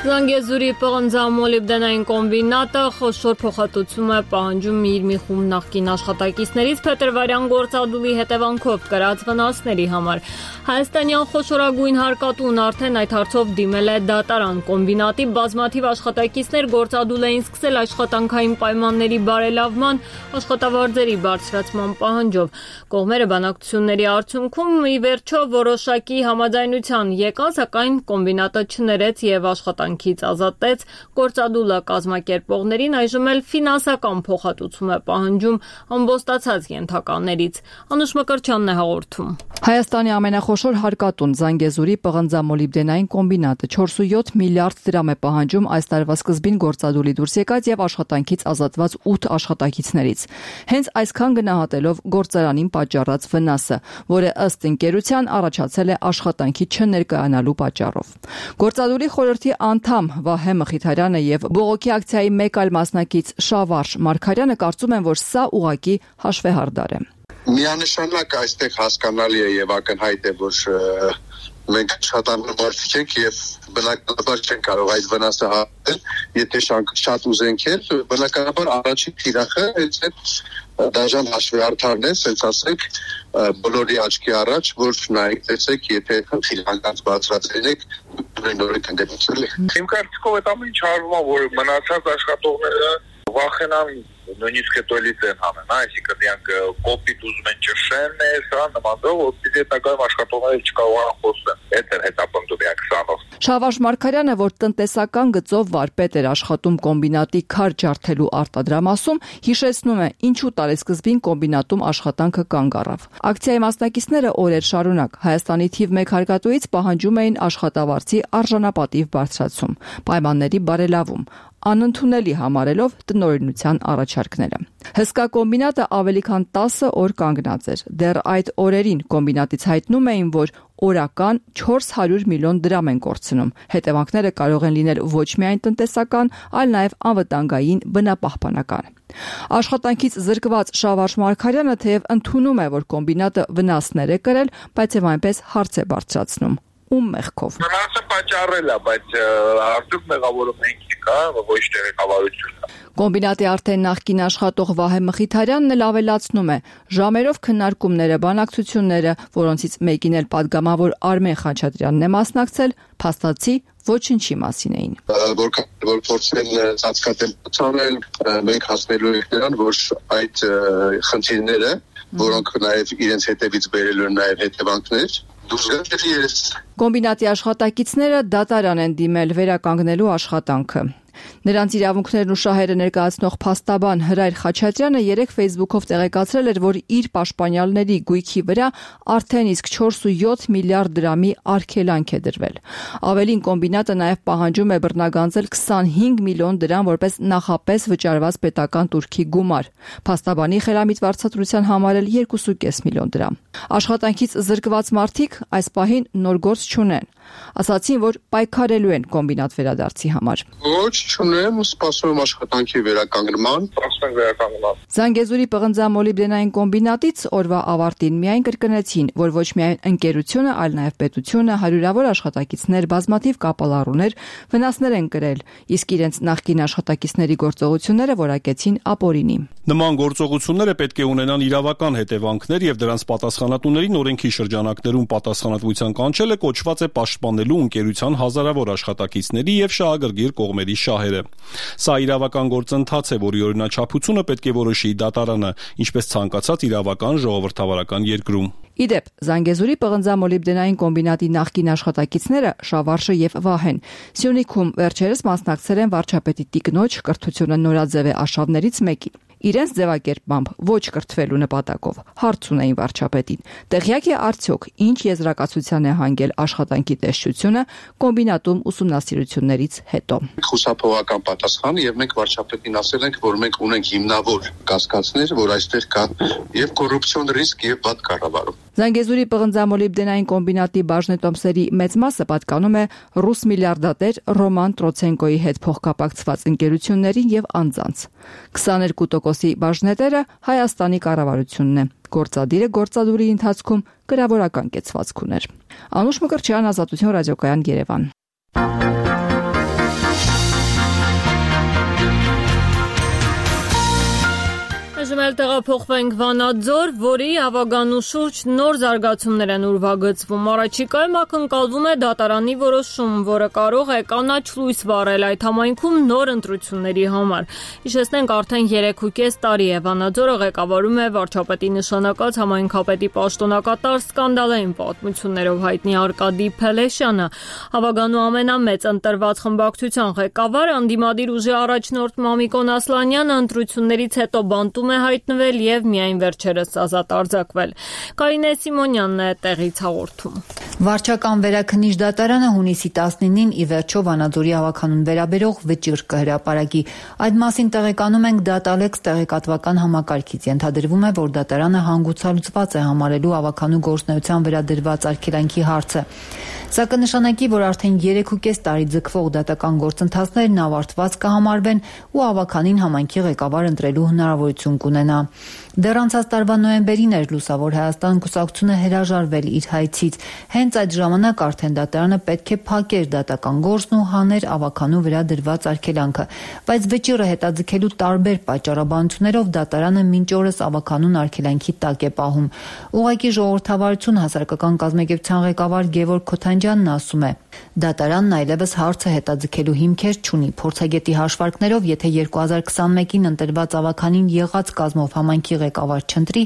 Զանգեզուրի պղնձամոլիբդենային կոմբինատը խոշոր փոխհատուցում է պահանջում իր մի խումբ նախկին աշխատակիցներից փետրվարյան գործադուլի հետևանքով կրած վնասների համար։ Հայաստանյան խոշորագույն հարկատուն արդեն այդ հարցով դիմել է դատարան։ Կոմբինատի բազմաթիվ աշխատակիցներ գործադուլ էին սկսել աշխատանքային պայմանների բարելավման, աշխատավարձերի բարձրացման պահանջով։ Կողմերը բանակցությունների արդյունքում ի վերջո որոշակի համաձայնության եկան, սակայն կոմբինատը չներեց եւ աշխատանքից ազատեց գործադուլը կազմակերպողներին, այժմ էլ ֆինանսական փոխհատուցում է պահանջում ամբոստացած ենթականերից։ Անուշ Մկրտչյանն է հաղորդում։ Հայաստանի ամենախոշոր հարկատուն Զանգեզուրի պղնձամոլիբդենային կոմբինատը չորսունյոթ միլիարդ դրամ է պահանջում այս տարվա սկզբին գործադուլի դուրս եկած եւ աշխատանքից ազատված ութ աշխատակիցներից։ Հենց այսքան գնահատելով գործարանին պատճառած վնասը, որը ըստ ընկերության առաջացել է աշխատանքի չներկայանալու պատճառով։ Գործադուլի խորհրդի անդամ Վահե Մխիթարյանը եւ բողոքի ակցիայի մեկ այլ մասնակից Շավարժ Մարգարյանը կարծում են, որ սա ուղղակի հաշվեհարդար է։ Միանշանակ այստեղ հասկանալի է եւ ակնհայտ է, որ մենք շատ անհրաժեշտ ենք եւ բնականաբար չենք կարող այդ վնասը հաղթել, եթե շատ ուզենք էլ, բնականաբար առաջին թիրախը այս դաժան հաշվեհարդարն է, ասենց ասենք, բոլորի աչքի առաջ, որ նայեք, տեսեք, եթե խնդիրանց բացրացել եք, նորի կնդեցել եք։ Իմ կարծիքով այդ ամեն ինչ արվում է, որ մնացած աշխատողները վախենան նույնիսկ հետոլից են հանեն, այսինքն դրանք կոպիտ ուզում են ճշեն, սա նմանով, որպեսզի հետագայում աշխատողները չկարողանան խոսել։ Այդ է հետապնդում իրանք սրանով։ Շավարժ Մարգարյանը, որ տնտեսական գծով վարպետ էր աշխատում կոմբինատի քար ջարդելու արտադրամասում, հիշեցնում է, ինչու տարեսկզբին կոմբինատում աշխատանքը կանգ առավ։ Ակցիայի մասնակիցները օրեր շարունակ Հայաստանի թիվ մեկ հարկատուից պահանջում էին աշխատավարձի արժանապատիվ բարձրացում, պայմանների բարելավում, անընդունելի համարելով տնօրինության առաջարկները։ Հսկա կոմբինատը ավելի քան տասը օր կանգնած էր։ Դեռ այդ օրերին կոմբինատից հայտնում էին, որ օրական չորս հարյուր միլիոն դրամ են կորցնում։ Հետևանքները կարող են լինել ոչ միայն տնտեսական, այլ նաև անվտանգային, բնապահպանական։ Աշխատանքից զրկված Շավարժ Մարգարյանը թեև ընդունում է, որ կոմբինատը վնասներ է կրել, բայց եւ այնպես հարց է բարձրացնում։ Ում մեղքով։ Վնասը պատճառել է, բայց արդյոք մեղավորը մենք ենք, ոչ թե ղեկավարությունը։ Կոմբինատի արդեն նախկին աշխատող Վահե Մխիթարյանն էլ ավելացնում է. ժամերով քննարկումները, բանակցությունները, որոնցից մեկին էլ падգամավոր Արմեն Խաչատրյանն է մասնակցել, փաստացի ոչինչի մասին էին։ Որքան որ փորձեն ծածկատել, մենք հասնելու ենք նրան, որ այդ խնդիրները, որոնք նաև իրենց հետևից բերելու են նաև հետևանքներ, Կոմբինատի աշխատակիցները դատարան են դիմել վերականգնելու աշխատանքը։ Նրանց իրավունքներն ու շահերը ներկայացնող փաստաբան Հրայր Խաչատրյանը երեկ Facebook-ով տեղեկացրել էր, որ իր պաշտպանյալների գույքի վրա արդեն իսկ չորսունյոթ միլիարդ դրամի արգելանք է դրվել։ Ավելին, կոմբինատը նաև պահանջում է բռնագանձել քսանհինգ միլիոն դրամ որպես նախապես վճարված պետական տուրքի գումար։ Փաստաբանի խելամիտ վարձատրության համար էլ երկուսուկես միլիոն դրամ։ Աշխատանքից զրկված մարդիկ այս պահին նոր գործ չունեն։ Ասացին, որ պայքարելու են կոմբինատ վերադարձի համար։ Ոչ, չունեմ, սպասում եմ աշխատանքի վերականգնման, սպասում եմ վերականգնման։ Զանգեզուրի պղնձամոլիբդենային կոմբինատից օրվա ավարտին միայն կրկնեցին, որ ոչ միայն ընկերությունը, այլ նաև պետությունը, հարյուրավոր աշխատակիցներ, բազմաթիվ կապալառուներ վնասներ են կրել, իսկ իրենց նախկին աշխատակիցների գործողությունները որակեցին ապօրինի։ Նման գործողությունները պետք է ունենան իրավական հետևանքներ եւ դրանց պատասխանատուներին օրենքի շրջանակներում պատասխանատվության կանչելը կոչված է պաշտպանելու ընկերության հազարավոր աշխատակիցների եւ շահագրգիռ կողմերի շահ շահերը։ Սա իրավական գործընթաց է, որի օրինաչափությունը պետք է որոշի դատարանը, ինչպես ցանկացած իրավական ժողովրդավարական երկրում։ Իդեպ, Զանգեզուրի պղնձամոլիբդենային կոմբինատի նախկին աշխատակիցները Շավարշը եւ Վահեն Սյունիքում վերջերս մասնակցել են վարչապետի տիկնոջ կրթությունը նորաձև է արշավներից մեկի։ Իրենց ձևակերպմամբ ոչ կրթվելու նպատակով հարց ունեին վարչապետին։ Տեղյակ է արդյոք ինչ եզրակացության է հանգել աշխատանքի տեսչությունը կոմբինատում ուսումնասիրություններից հետո։ Խուսափողական պատասխան եւ մենք վարչապետին ասել ենք, որ մենք ունենք հիմնավոր կասկածներ, որ այստեղ կա եւ կոռուպցիոն ռիսկ եւ վատ կառավարում։ Զանգեզուրի պղնձամոլիբդենային կոմբինատի բաժնետոմսերի մեծ մասը պատկանում է ռուս միլիարդատեր Ռոման Տրոցենկոյի հետ փոխկապակցված ընկերություններին եւ անձանց։ քսաներկու տոկոսի բաժնետերը Հայաստանի կառավարությունն է։ Գործադիրը գործադուրի ընթացքում գրավորական կեցվածք ուներ։ Անուշ Մկրտչյան, Ազատություն ռադիոկայան, Երևան։ Այժմ էլ տեղափոխվենք Վանաձոր, որի ավագանու շուրջ նոր զարգացումներ են ուրվագծվում։ Առաջիկայում ակնկալվում է դատարանի որոշում, որը կարող է կանաչ լույս վառել այդ համայնքում նոր ընտրությունների համար։ Հիշեցնենք, արդեն երեքուկես տարի է Վանաձորը ղեկավարում է վարչապետի նշանակած համայնքապետի պաշտոնակատար սկանդալային պատմություններով հայտնի Արկադի Փելեշյանը։ Ավագանու ամենամեծ ընտրված խմբակցության ղեկավար անդիմադիր ուժի առաջնորդ Մամիկոն Ասլանյանը ընտրություններից հետո բանտում է հայտնվել եւ միայն վերջերս ազատ արձակվել։ Կարինե Սիմոնյանն է տեղից հաղորդում։ Վարչական վերաքննիչ դատարանը հունիսի տասնինին ի վերջո Վանաձորի ավականուն վերաբերող վճիռ կհրապարակի։ Այդ մասին տեղեկանում ենք Դատալեքս տեղեկատվական համակարգից։ Ենթադրվում է, որ դատարանը հանգուցալուծված է համարելու ավականու գործնեության վրա դրված արգելանքի հարցը։ Սա կնշանակի, որ արդեն երեքուկես տարի ձգվող դատական գործընթացներն ավարտված կհամարվեն ու ավականին համայնքի ղեկավար ընտրելու հնարավորություն կունենա։ Դեռ անցած տարվա նոյեմբերին էր Լուսավոր Հայաստան կուսակցությունը հրաժարվել իր հայցից։ Հենց այդ ժամանակ արդեն դատարանը պետք է փակեր դատական գործն ու հաներ ավականու վրա դրված արգելանքը, բայց վճիռը հետաձգելու տարբեր պատճառաբանություններով դատարանը մինչ օրս ավականուն արգելանքի տակ է պահում։ Ուղղակի ժողովրդավարություն հասարակական կազմակերպության ղեկավար Գևորգ Քոթանջյանն ասում է. Դատարանն այլևս հարցը հետաձգելու հիմքեր չունի։ Փորձագետի հաշվարկներով, եթե երկու հազար քսանմեկին ընտրված ավականին եղած կազմով համայնքի ղեկավար չընտրի,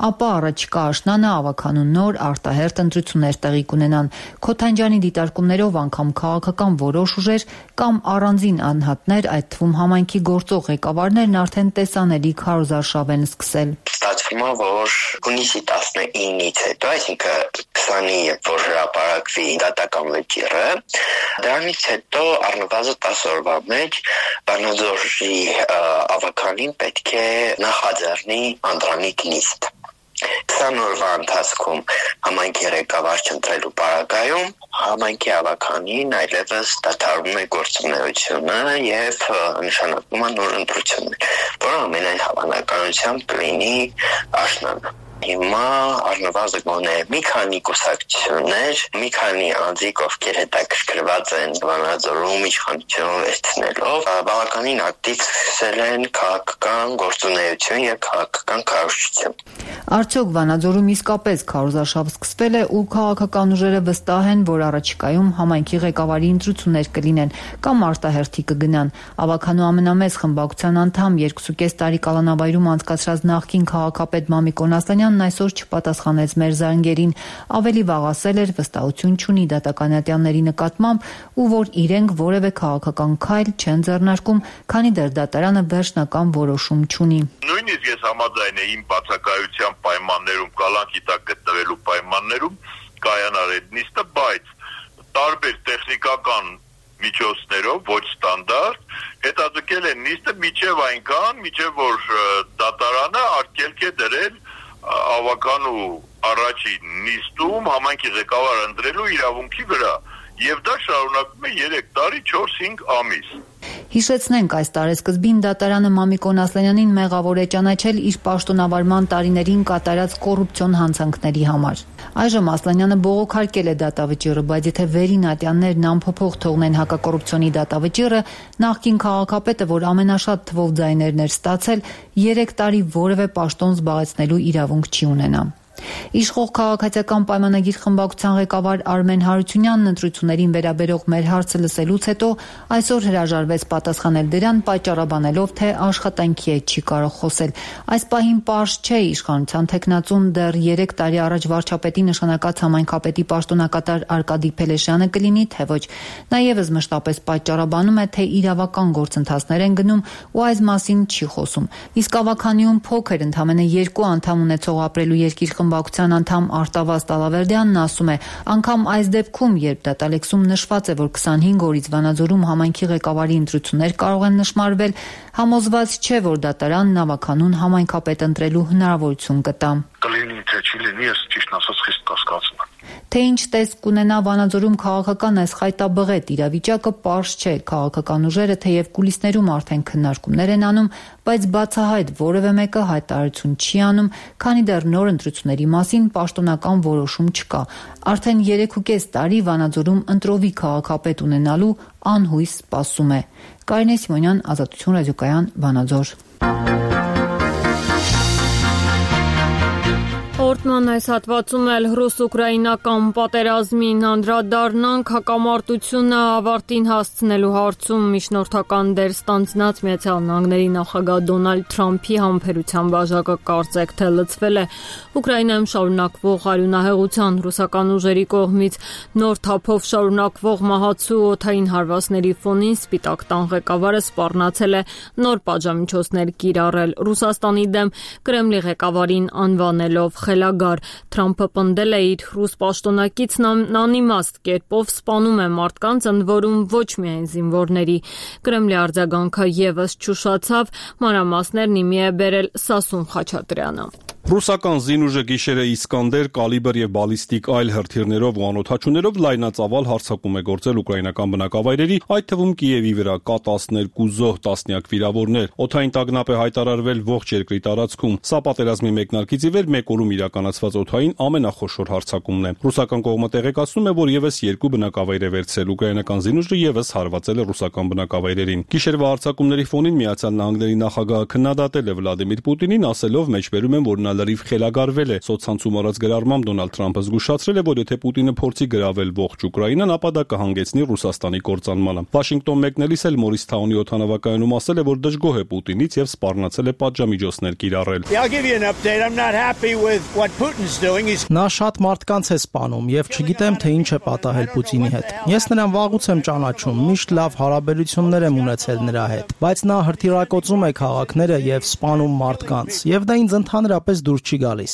ապա առաջիկա աշնանը ավականու նոր արտահերթ ընտրություններ տեղի կունենան։ Քոթանջյանի դիտարկումներով անգամ քաղաքական որոշ ուժեր կամ առանձին անհատներ, այդ թվում համայնքի գործող ղեկավարներն արդեն տեսանելի քարոզարշավ են սկսել։ Ստացվում է, որ հունիսի տասնինից հետո, այսինքն քսանի, որ հրապարակվի դատական վճիռը, դրանից հետո առնվազն տասը օրվա մեջ Վանաձորի ավականին պետք է նախաձեռնի անդրանիկ նիստ։ քսան օրվա ընթացքում համայնքի ղեկավար չընտրելու պարագայում համայնքի ավականին այլևս դադարում է գործունեությունը եւ նշանակում է նոր ընտրություններ, որը ամենայն հավանականությամբ կլինի աշնանը։ Հիմա առնվազն գոնե մի քանի կուսակցություններ, մի քանի անձիկ, ովքեր հետաքրքրված են Վանաձորում իշխանություն վերցնելով, բավականին ակտիվ սկսել են քաղաքական գործունեություն եւ քաղաքական քարոզչություն։ Արդյոք Վանաձորում իսկապես քարոզարշավ սկսվել է ու քաղաքական ուժերը վստահ են, որ առաջիկայում համայնքի ղեկավարի ընտրություններ կլինեն կամ արտահերթի կգնան։ Ավականու ամենամեծ խմբակցության անդամ երկուսուկես տարի կալանավայրում անցկացրած նախկին քաղաքապետ Մամիկոն Ասլանյանն այսօր չպատասխանեց մեր զանգերին, ավելի վաղ ասել էր վստահություն չունի դատականատյանների նկատմամբ ու որ իրենք որևէ քաղաքական քայլ չեն ձեռնարկում, քանի դեռ դատարանը վերջնական որոշում չունի։ Նույնիսկ ես համաձայն եմ իմ բացակայության պայմաններում, կալանքի տակ գտնվելու պայմաններում կայանար այդ նիստը, բայց տարբեր տեխնիկական միջոցներով, ոչ ստանդարտ, հետաձգել են նիստը միջև այնքան, միջև որ դատարանը արգելք է դրել ավականու առաջին նիստում համայնքի ղեկավար ընտրելու իրավունքի վրա, եւ դա շարունակվում է երեք տարի, չորս-հինգ ամիս։ Հիշեցնենք, այս տարեսկզբին դատարանը Մամիկոն Ասլանյանին մեղավոր է ճանաչել իր պաշտոնավարման տարիներին կատարած կոռուպցիոն հանցանքների համար։ Այժմ Ասլանյանը բողոքարկել է դատավճիռը, բայց եթե վերին ատյաններն անփոփոխ թողնեն հակակոռուպցիոնի դատավճիռը, նախկին քաղաքապետը, որ ամենաշատ թվով ձայներն էր ստացել, երեք տարի որևէ պաշտոն զբաղեցնելու իրավունք չի ունենա։ Իշխող քաղաքացիական պայմանագիր խմբակցության ղեկավար Արմեն Հարությունյանն ընտրություններին վերաբերող մեր հարցը լսելուց հետո այսօր հրաժարվեց պատասխանել դրան, պատճառաբանելով, թե աշխատանքի հետ չի կարող խոսել։ Այս պահին պարզ չէ իշխանության թեկնածուն դեռ երեք տարի առաջ վարչապետի նշանակած համայնքապետի պաշտոնակատար Արկադի Փելեշյանը կլինի, թե ոչ։ Նա ևս մշտապես պատճառաբանում է, թե իրավական գործընթացներ են գնում ու այս մասին չի խոսում։ Իսկ ավականիում փոքր ընդամենը երկու անդամ ունեցող ապրելու երկիր խմբակցության անդամ Արտավազ Տալավերդյանն ասում է, անգամ այս դեպքում, երբ դատալեքսում նշված է, որ քսանհինգ օրից Վանաձորում համայնքի ղեկավարի ընտրություններ կարող են նշմարվել, համոզված չէ, որ դատարանն ավականուն համայնքապետ ընտրելու հնարավորություն կտա։ Կլինի թե չի լինի, ես ճիշտ ասած խիստ կասկածում եմ։ Թե ինչ տեսք կունենա Վանաձորում քաղաքական այս խայտաբղետ իրավիճակը պարզ չէ։ Քաղաքական ուժերը թեև կուլիսներում արդեն քննարկումներ են անում, բայց բացահայտ որևէ մեկը հայտարարություն չի անում, քանի դեռ նոր ընտրությունների մասին պաշտոնական որոշում չկա։ Արդեն երեքուկես տարի Վանաձորում ընտրովի քաղաքապետ ունենալու անհույս սպասում է։ Կարինե Սիմոնյան, Ազատություն ռադիոկայան, Վանաձոր։ Օրտման այս հատվածում էլ ռուս-ուկրաինական պատերազմին անդրադառնանք, հակամարտությունը ավարտին հասցնելու հարցում միջնորդական դեր ստանձնած Միացյալ Նահանգների նախագահ Դոնալդ Թրամփի համբերության բաժակը կարծեք թե լցվել է։ Ուկրաինայում շարունակվող արյունահեղության, ռուսական ուժերի կողմից նոր թափով շարունակվող մահացու օդային հարվածների ֆոնին Սպիտակ տան ղեկավարը սպառնացել է նոր պատժամիջոցներ կիրառել Ռուսաստանի դեմ, Կրեմլի ղեկավարին անվանելով խելագար։ Թրամփը պնդել է իր ռուս պաշտոնակիցն անիմաստ կերպով սպանում է մարդկանց, ընդ որում ոչ միայն զինվորների։ Կրեմլի արձագանքը ևս չուշացավ, մանրամասներն իմի է բերել Սասուն Խաչատրյանը։ Ռուսական զինուժը գիշերը Իսկանդեր, կալիբր եւ բալիստիկ այլ հրթիռներով ու անօդաչուներով լայնածավալ հարձակում է գործել ուկրաինական բնակավայրերի, այդ թվում Կիևի վրա կա տասներկու զոհ, տասնյակ վիրավորներ։ Օդային տագնապ է հայտարարվել ողջ երկրի տարածքում։ Սա պատերազմի մեկնարկից ի վեր մեկ օրում իրականացված օդային ամենախոշոր հարձակումն է։ Ռուսական կողմը տեղեկացնում է, որ եւս երկու բնակավայր է վերցրել, ուկրաինական զինուժը եւս հարվածել է ռուսական բնակավայրերին։ Գիշերվա հարձակումների ֆոնին Միացյալ Նահանգների նախագահը քննադատել է Վլադիմիր Պուտինին, ասելով մեջբերում են, որ նա լրիվ խելագարվել է։ Սոցցանցում առած գրառմամբ Դոնալդ Թրամփը զգուշացրել է, որ եթե Պուտինը փորձի գրավել ողջ Ուկրաինան, ապա դա կհանգեցնի Ռուսաստանի կործանմանը։ Վաշինգտոն մեկնելիս էլ Մորիս Թաունի օդանավակայանում ասել է, որ դժգոհ է Պուտինից եւ սպառնացել է պատժամիջոցներ կիրառել։ Նա շատ մարդկանց է սպանում եւ չգիտեմ թե ինչ է պատահել Պուտինի հետ։ Ես նրան վաղուց եմ ճանաչում, միշտ լավ հարաբերություններ եմ ունեցել նրա հետ, բայց նա հրթիռակոծում է քաղաքները եւ սպանում մարդկանց, եւ դա ինձ ընդհանրապես դուր չի գալիս։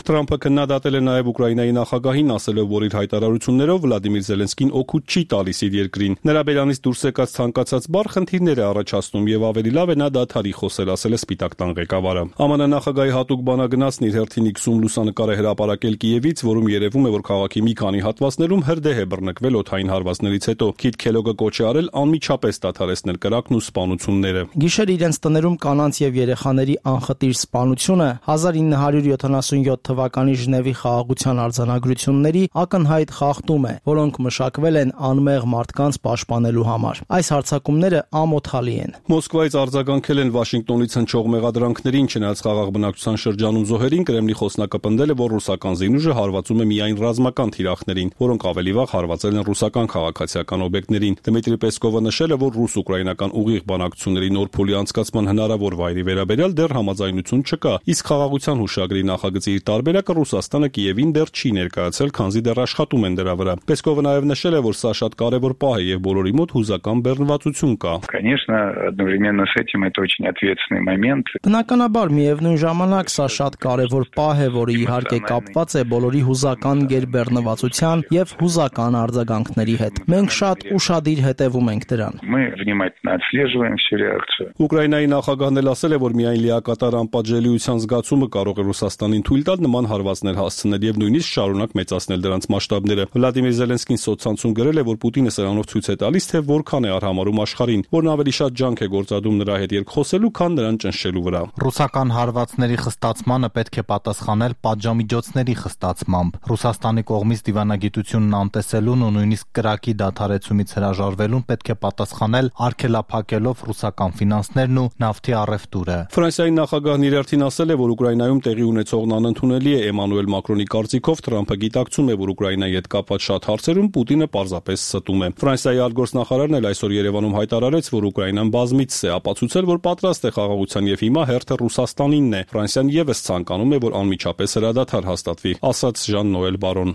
Թրամփը քննադատել է նաև Ուկրաինայի նախագահին, ասելով, որ իր հայտարարություններով Վլադիմիր Զելենսկին օգուտ չի տալիս իր երկրին։ Նրա բերանից դուրս եկած ցանկացած բառ խնդիրներ է առաջացնում եւ ավելի լավ է նա դադարի խոսել, ասել է Սպիտակ տան ղեկավարը։ ԱՄՆ նախագահի հատուկ բանագնացն իր հերթին իքսուն լուսանկար է հրապարակել Կիևից, որում երևում է, որ քաղաքի մի քանի հատվածներում հրդեհ է բռնկվել օդային հարվածներից հետո։ Քիթ Քելոգը կոչ է արել անմիջապես դադարեցնել կրակն ու սպանությունները։ Գիշեր իրենց տներում կանանց եւ երեխաների անխտիր սպանությունը հազար ինը հարյուր յոթանասունյոթ թվականի Ժնևի խաղաղության արձանագրությունների ակնհայտ խախտում է, որոնք մշակվել են անմեղ մարդկանց պաշտպանելու համար։ Այս հարձակումները ամոթալի են։ Մոսկվայից արձագանքել են Վաշինգտոնից հնչող մեղադրանքներին, չնայած խաղաղ բնակչության շրջանում զոհերին, Կրեմլի խոսնակը պնդել է, որ ռուսական զինուժը հարվածում է միայն ռազմական թիրախներին, որոնք ավելի վաղ հարվածել են ռուսական քաղաքացիական օբյեկտներին։ Դմիտրի Պեսկովը նշել է, որ ռուս-ուկրաինական ուղիղ բանակցությունների նոր փուլի անցկացման հնարավոր վայրի վերաբերյալ դեռ համաձայնություն չկա, իսկ խաղաղության հուշագրի նախագծի իր տարբերակը Ռուսաստանը Կիևին դեռ չի ներկայացել, քանզի դեռ աշխատում են դրա վրա։ Պեսկովը նաև նշել է, որ սա շատ կարևոր պահ է եւ բոլորի մոտ հուզական բեռնվածություն կա։ Конечно, одновременно с этим это очень ответственный момент. Բնականաբար միևնույն ժամանակ սա շատ կարևոր պահ է, որը իհարկե կապված է բոլորի հուզական գերբեռնվածության եւ հուզական արձագանքների հետ։ Մենք շատ ուշադիր հետևում ենք դրան։ Мы внимательно отслеживаем всю реакцию. Ուկրաինայի նախագահն էլ ասել է, որ միայն լիակատար անպատժելիության զգացումը կարող է Ռուսաստանին թույլ տալ նման հարվածներ հասցնել եւ նույնիսկ շարունակ մեծացնել դրանց մասշտաբները։ Վլադիմիր Զելենսկին սոցցանցում գրել է, որ Պուտինը սրանով ցույց է տալիս, թե որքան է արհամարհում աշխարհին, որն ավելի շատ ջանք է գործադրում նրա հետ երկխոսելու, քան նրան ճնշելու վրա։ Ռուսական հարվածների խստացմանը պետք է պատասխանել պատժամիջոցների խստացմամբ։ Ռուսաստանի կողմից դիվանագիտությունն անտեսելուն ու նույնիսկ կրակի դադարեցումից հրաժարվելուն պետք է պատասխանել արգելափակելով ռուսական ֆինանսներն ու նավթի առևտուրը։ Ֆրանսիայի նախագահ Նախագահն իր հերթին ասել է, որ Ուկրաինայում տեղի ունեցողն անընդունելի է։ Էմանուել Մակրոնի կարծիքով Թրամփը գիտակցում է, որ Ուկրաինայի հետ կապված շատ հարցերում Պուտինը պարզապես ստում է։ Ֆրանսիայի արտգործնախարարն էլ այսօր Երևանում հայտարարեց, որ Ուկրաինան բազմիցս է ապացուցել, որ պատրաստ է խաղաղության եւ հիմա հերթը Ռուսաստանինն է։ Ֆրանսիան եւս ցանկանում է, որ անմիջապես հրադադար հաստատվի, ասաց Ժան-Նոել Բարոն։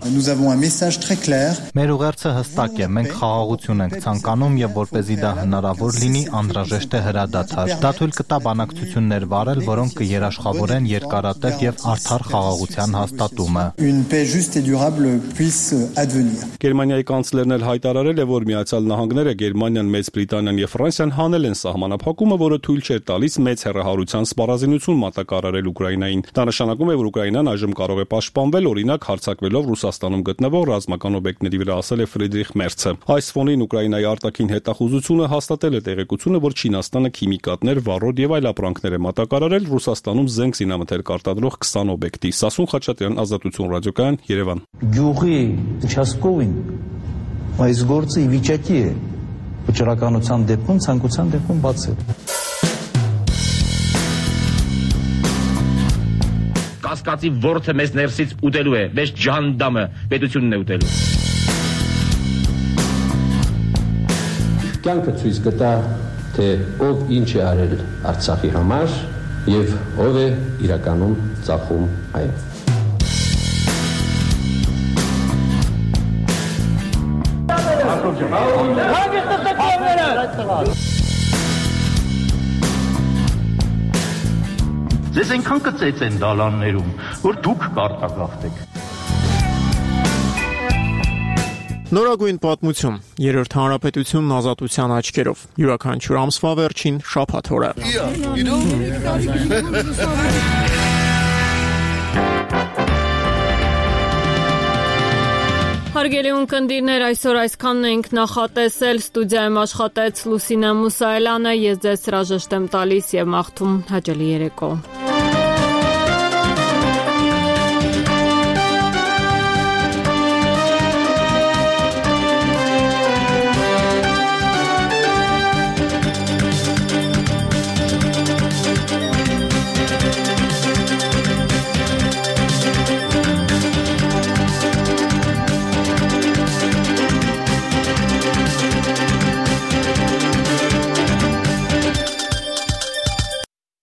Մեր ուղերձը հստակ է, մենք խաղաղություն ենք ցանկանում եւ որպեսզի դա հնարավոր լինի, անհրաժեշտ է հրադադար։ Դա թույլ կտա բանակցություններ վարել, որոնք կերաշխավորեն երկարատև եւ արդար խաղաղության հաստատումը։ Գերմանիայի կանցլերն էլ հայտարարել է, որ Միացյալ Նահանգները, Գերմանիան, Մեծ Բրիտանիան եւ Ֆրանսիան հանել են սահմանափակումը, որը թույլ չէր տալիս մեծ հեռահարության սպառազինություն մատակարարել Ուկրաինային։ Դա նշանակում է, որ Ուկրաինան այժմ կարող է պաշտպանվել, օրինակ հարձակվելով Ռուսաստանում գտնվող ռազմական օբյեկտների վրա, ասել է Ֆրիդրիխ Մերցը։ Այս ֆոնին Ուկրաինայի արտաքին հետախուզությունը հաստատել է տեղեկությունը, որ Չինաստանը քիմիկատներ, վառոդ եւ այլ ապրանքներ է մատակարարել Ռուսաստանում զենք զինամթերք արտադրող քսան օբյեկտի։ Սասուն Խաչատրյան, Ազատություն ռադիոկայան, Երևան։ Գյուղի участковին այս գործը ի վիճակի է վճռականության դեպքում, ցանկության դեպքում բացել։ Կասկածի ворթը մեզ ներսից ուտելու է, մեզ ջանդամը պետությունն է ուտելու։ Կյանքը ցույց կտա, թե ով ինչ է արել Արցախի համար եւ ով է իրականում ծախում այն։ Ձեզ այնքան կծեց են դալաններում, որ դուք կարտագաղթեք։ Նորագույն պատմություն, երրորդ հանրապետությունն ազատության աչքերով, յուրաքանչյուր ամսվա վերջին շաբաթ օրը։ Հարգելի ունկնդիրներ, այսօր այսքանն ենք նախատեսել, ստուդիայում աշխատեց Լուսինե Մուսայելյանը, ես ձեզ հրաժեշտ եմ տալիս եւ մաղթում հաճելի երեկո։